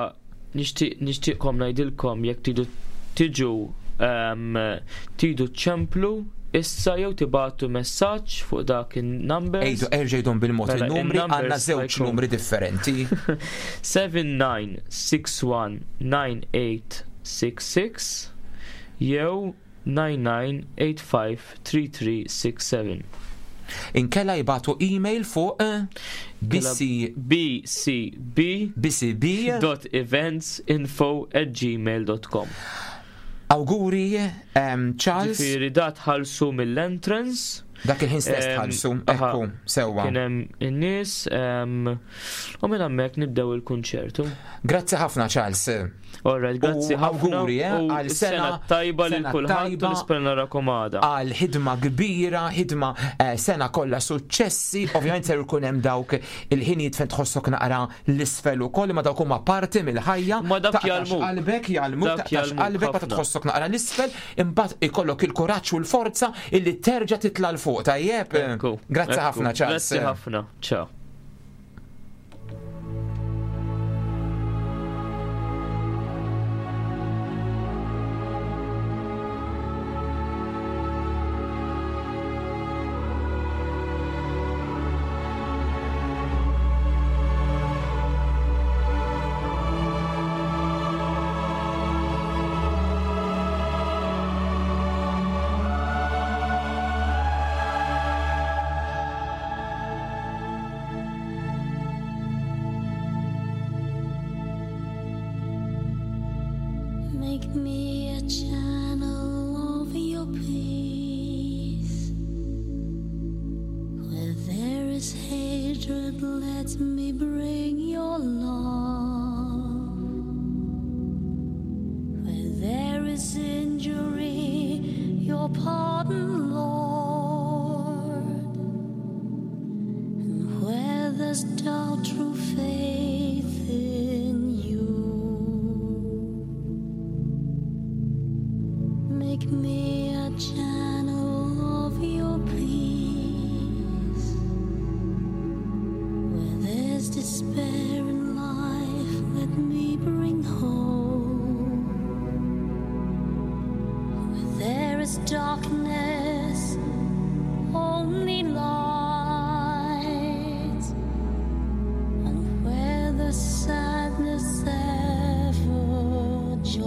nixtieq nixtieqkom ngħidilkom jekk tridu tiġu em, tridu ċemplu issa jew tibagħtu messaġġ fuq dak in-numbers. Ejdu, erġa' għidhom bil-mod Mela, il-numri, għandna in-numbers żewġ ħa jkun numri differenti. seven nine six one nine eight six six jew nine nine eight five three three six seven. Inkella jibagħtu email fuq eh, bc bcb bcb dot events info at gmail dot com. Awguri, em, Charles. Ġifieri da tħallsu mill-entrance. Dak il-ħin stess Em, tħallsu, aha. ekku, sewwa. Kien hemm in-nies em, u minn hemmhekk nibdew il-kunċertu. Grazzi ħafna Charles. Alright, grazzi U ħafna. awguri, eh, u għal sena tajba lil sena kulħadd u tajba. nispera narakom għada. Għal ħidma kbira, ħidma eh, sena kollha suċċessi, ovvjament ser ikun hemm dawk il-ħinijiet fejn tħossok naqra l-isfel ukoll, ma dawk huma parti mill-ħajja. Ma dak Taqtax jgħallmuk. qalbek jgħallmuk, Dak taqtax jgħallmuk qalbek meta ħafna. tħossok naqra l-isfel, imbagħad ikollok il-kuraġġ u l-forza illi terġa' titla' 'l fuq, tajjeb? Ekku, Grazzi ekku. ħafna Charles. Grazzi ħafna. Ciao. Make me a channel of your peace. Where there is hatred, let me bring your love. Where there is injury, your pardon, Lord. And where there's doubt, true faith in you. Make me a channel of your peace. Where there's despair in life, let me bring hope. Where there is darkness, only light. And where there's sadness, ever joy.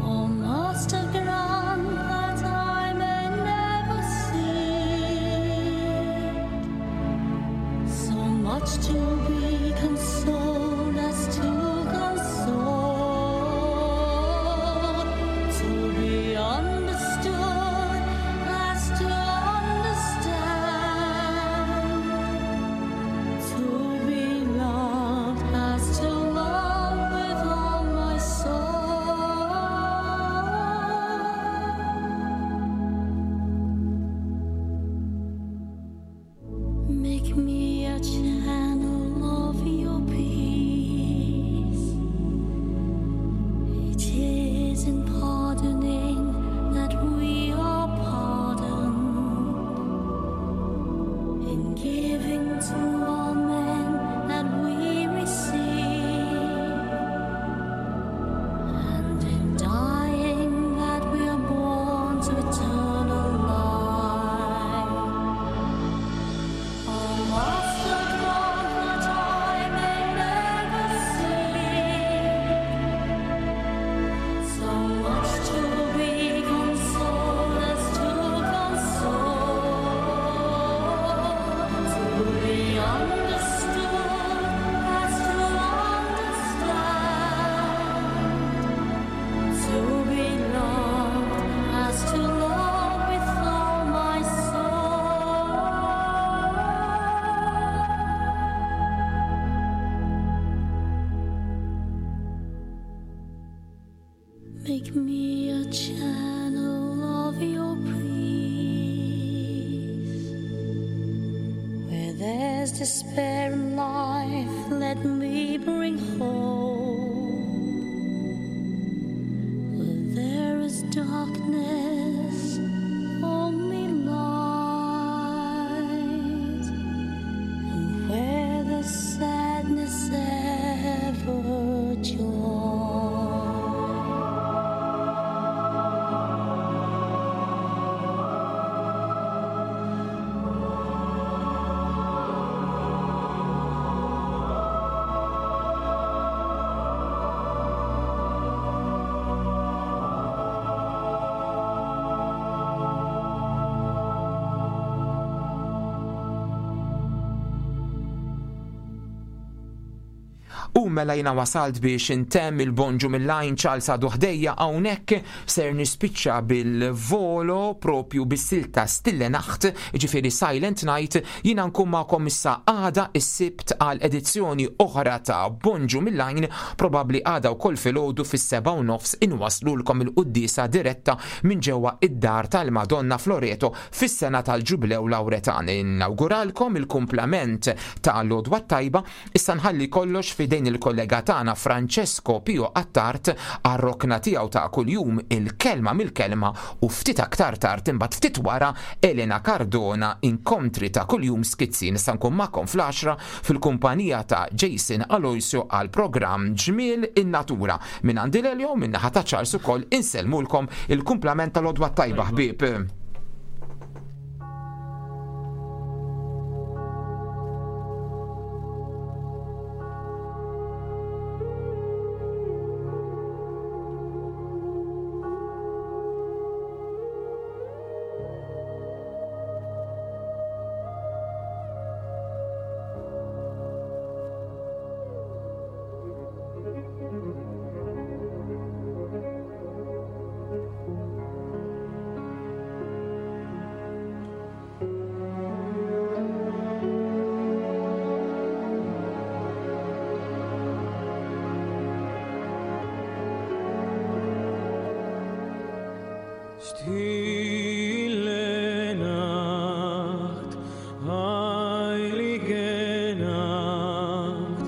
Oh, Master, grant that I may never seek so much to be consoled as to console, to be understood as to understand, to be loved as to love with all my soul. Make me a channel of your peace. It is in pardoning that we are pardoned, in giving to all men that we receive, and in dying that we are born to eternal life. Oh, Master, grant that I may never see so much to be consoled as to console, to be understood as to understand, to be loved as to love with all my soul. Make me a channel of your peace. Where there's despair in life, let me bring hope. Where there is darkness, only light. And where there's sadness, ever joy. Illum mela jiena wasalt biex intemm il-Bonġu mill-Għajn. Charles għadu ħdejja hawnhekk, ser nispiċċa bil-volo propju bis-silta Stille Nacht, ġifieri Silent Night. Jiena nkun magħkom issa għada is-Sibt għal edizzjoni oħra ta' Bonġu mill-Għajn, probabbli għada wkoll filgħodu fis-seba' u nofs inwaslulkom il-quddiesa diretta minn ġewwa id-dar tal-Madonna Floreto fis-sena tal-Ġublew Lawretan. Inawguralkom il-kumplament ta' l-għodwa tajba. Issa nħalli kollox fidejn il-kollega tagħna Francesco Pio Attard għar-rokna tiegħu ta' kuljum, il-kelma mill-kelma, u ftit aktar tard imbagħad ftit wara Elena Cardona, inkontri ta' kuljum skizzi. Nista' nkun magħkom fl-għaxra fil-kumpanija ta' Jason Aloisio għal programm Ġmiel in-Natura. Minn għandi Lelio, minn naħa ta' Charles ukoll insellmulkom il-kumplament tal-għodwa tajba, ħbieb. Stille Nacht, heilige Nacht,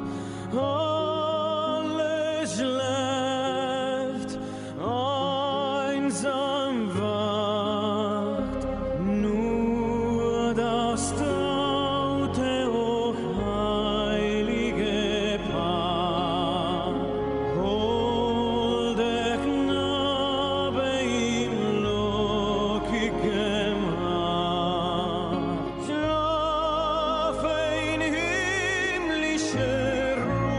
alles schläft, einsam wacht, nur das traute, hochheilige Paar, holde Knabe im lockigen Haar. Schlafe in himmlischer Ruhe,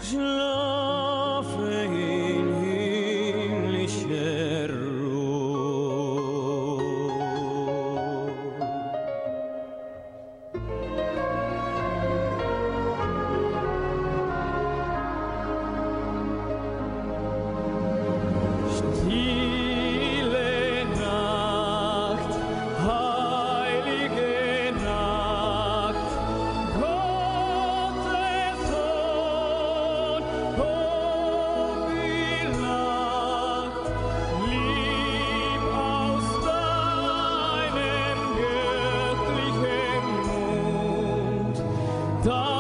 schlafe in himmlischer Ruhe. Stille Nacht, heilige Nacht, Gottes Sohn, hoch gelacht, lieb aus deinem göttlichen Mund, dein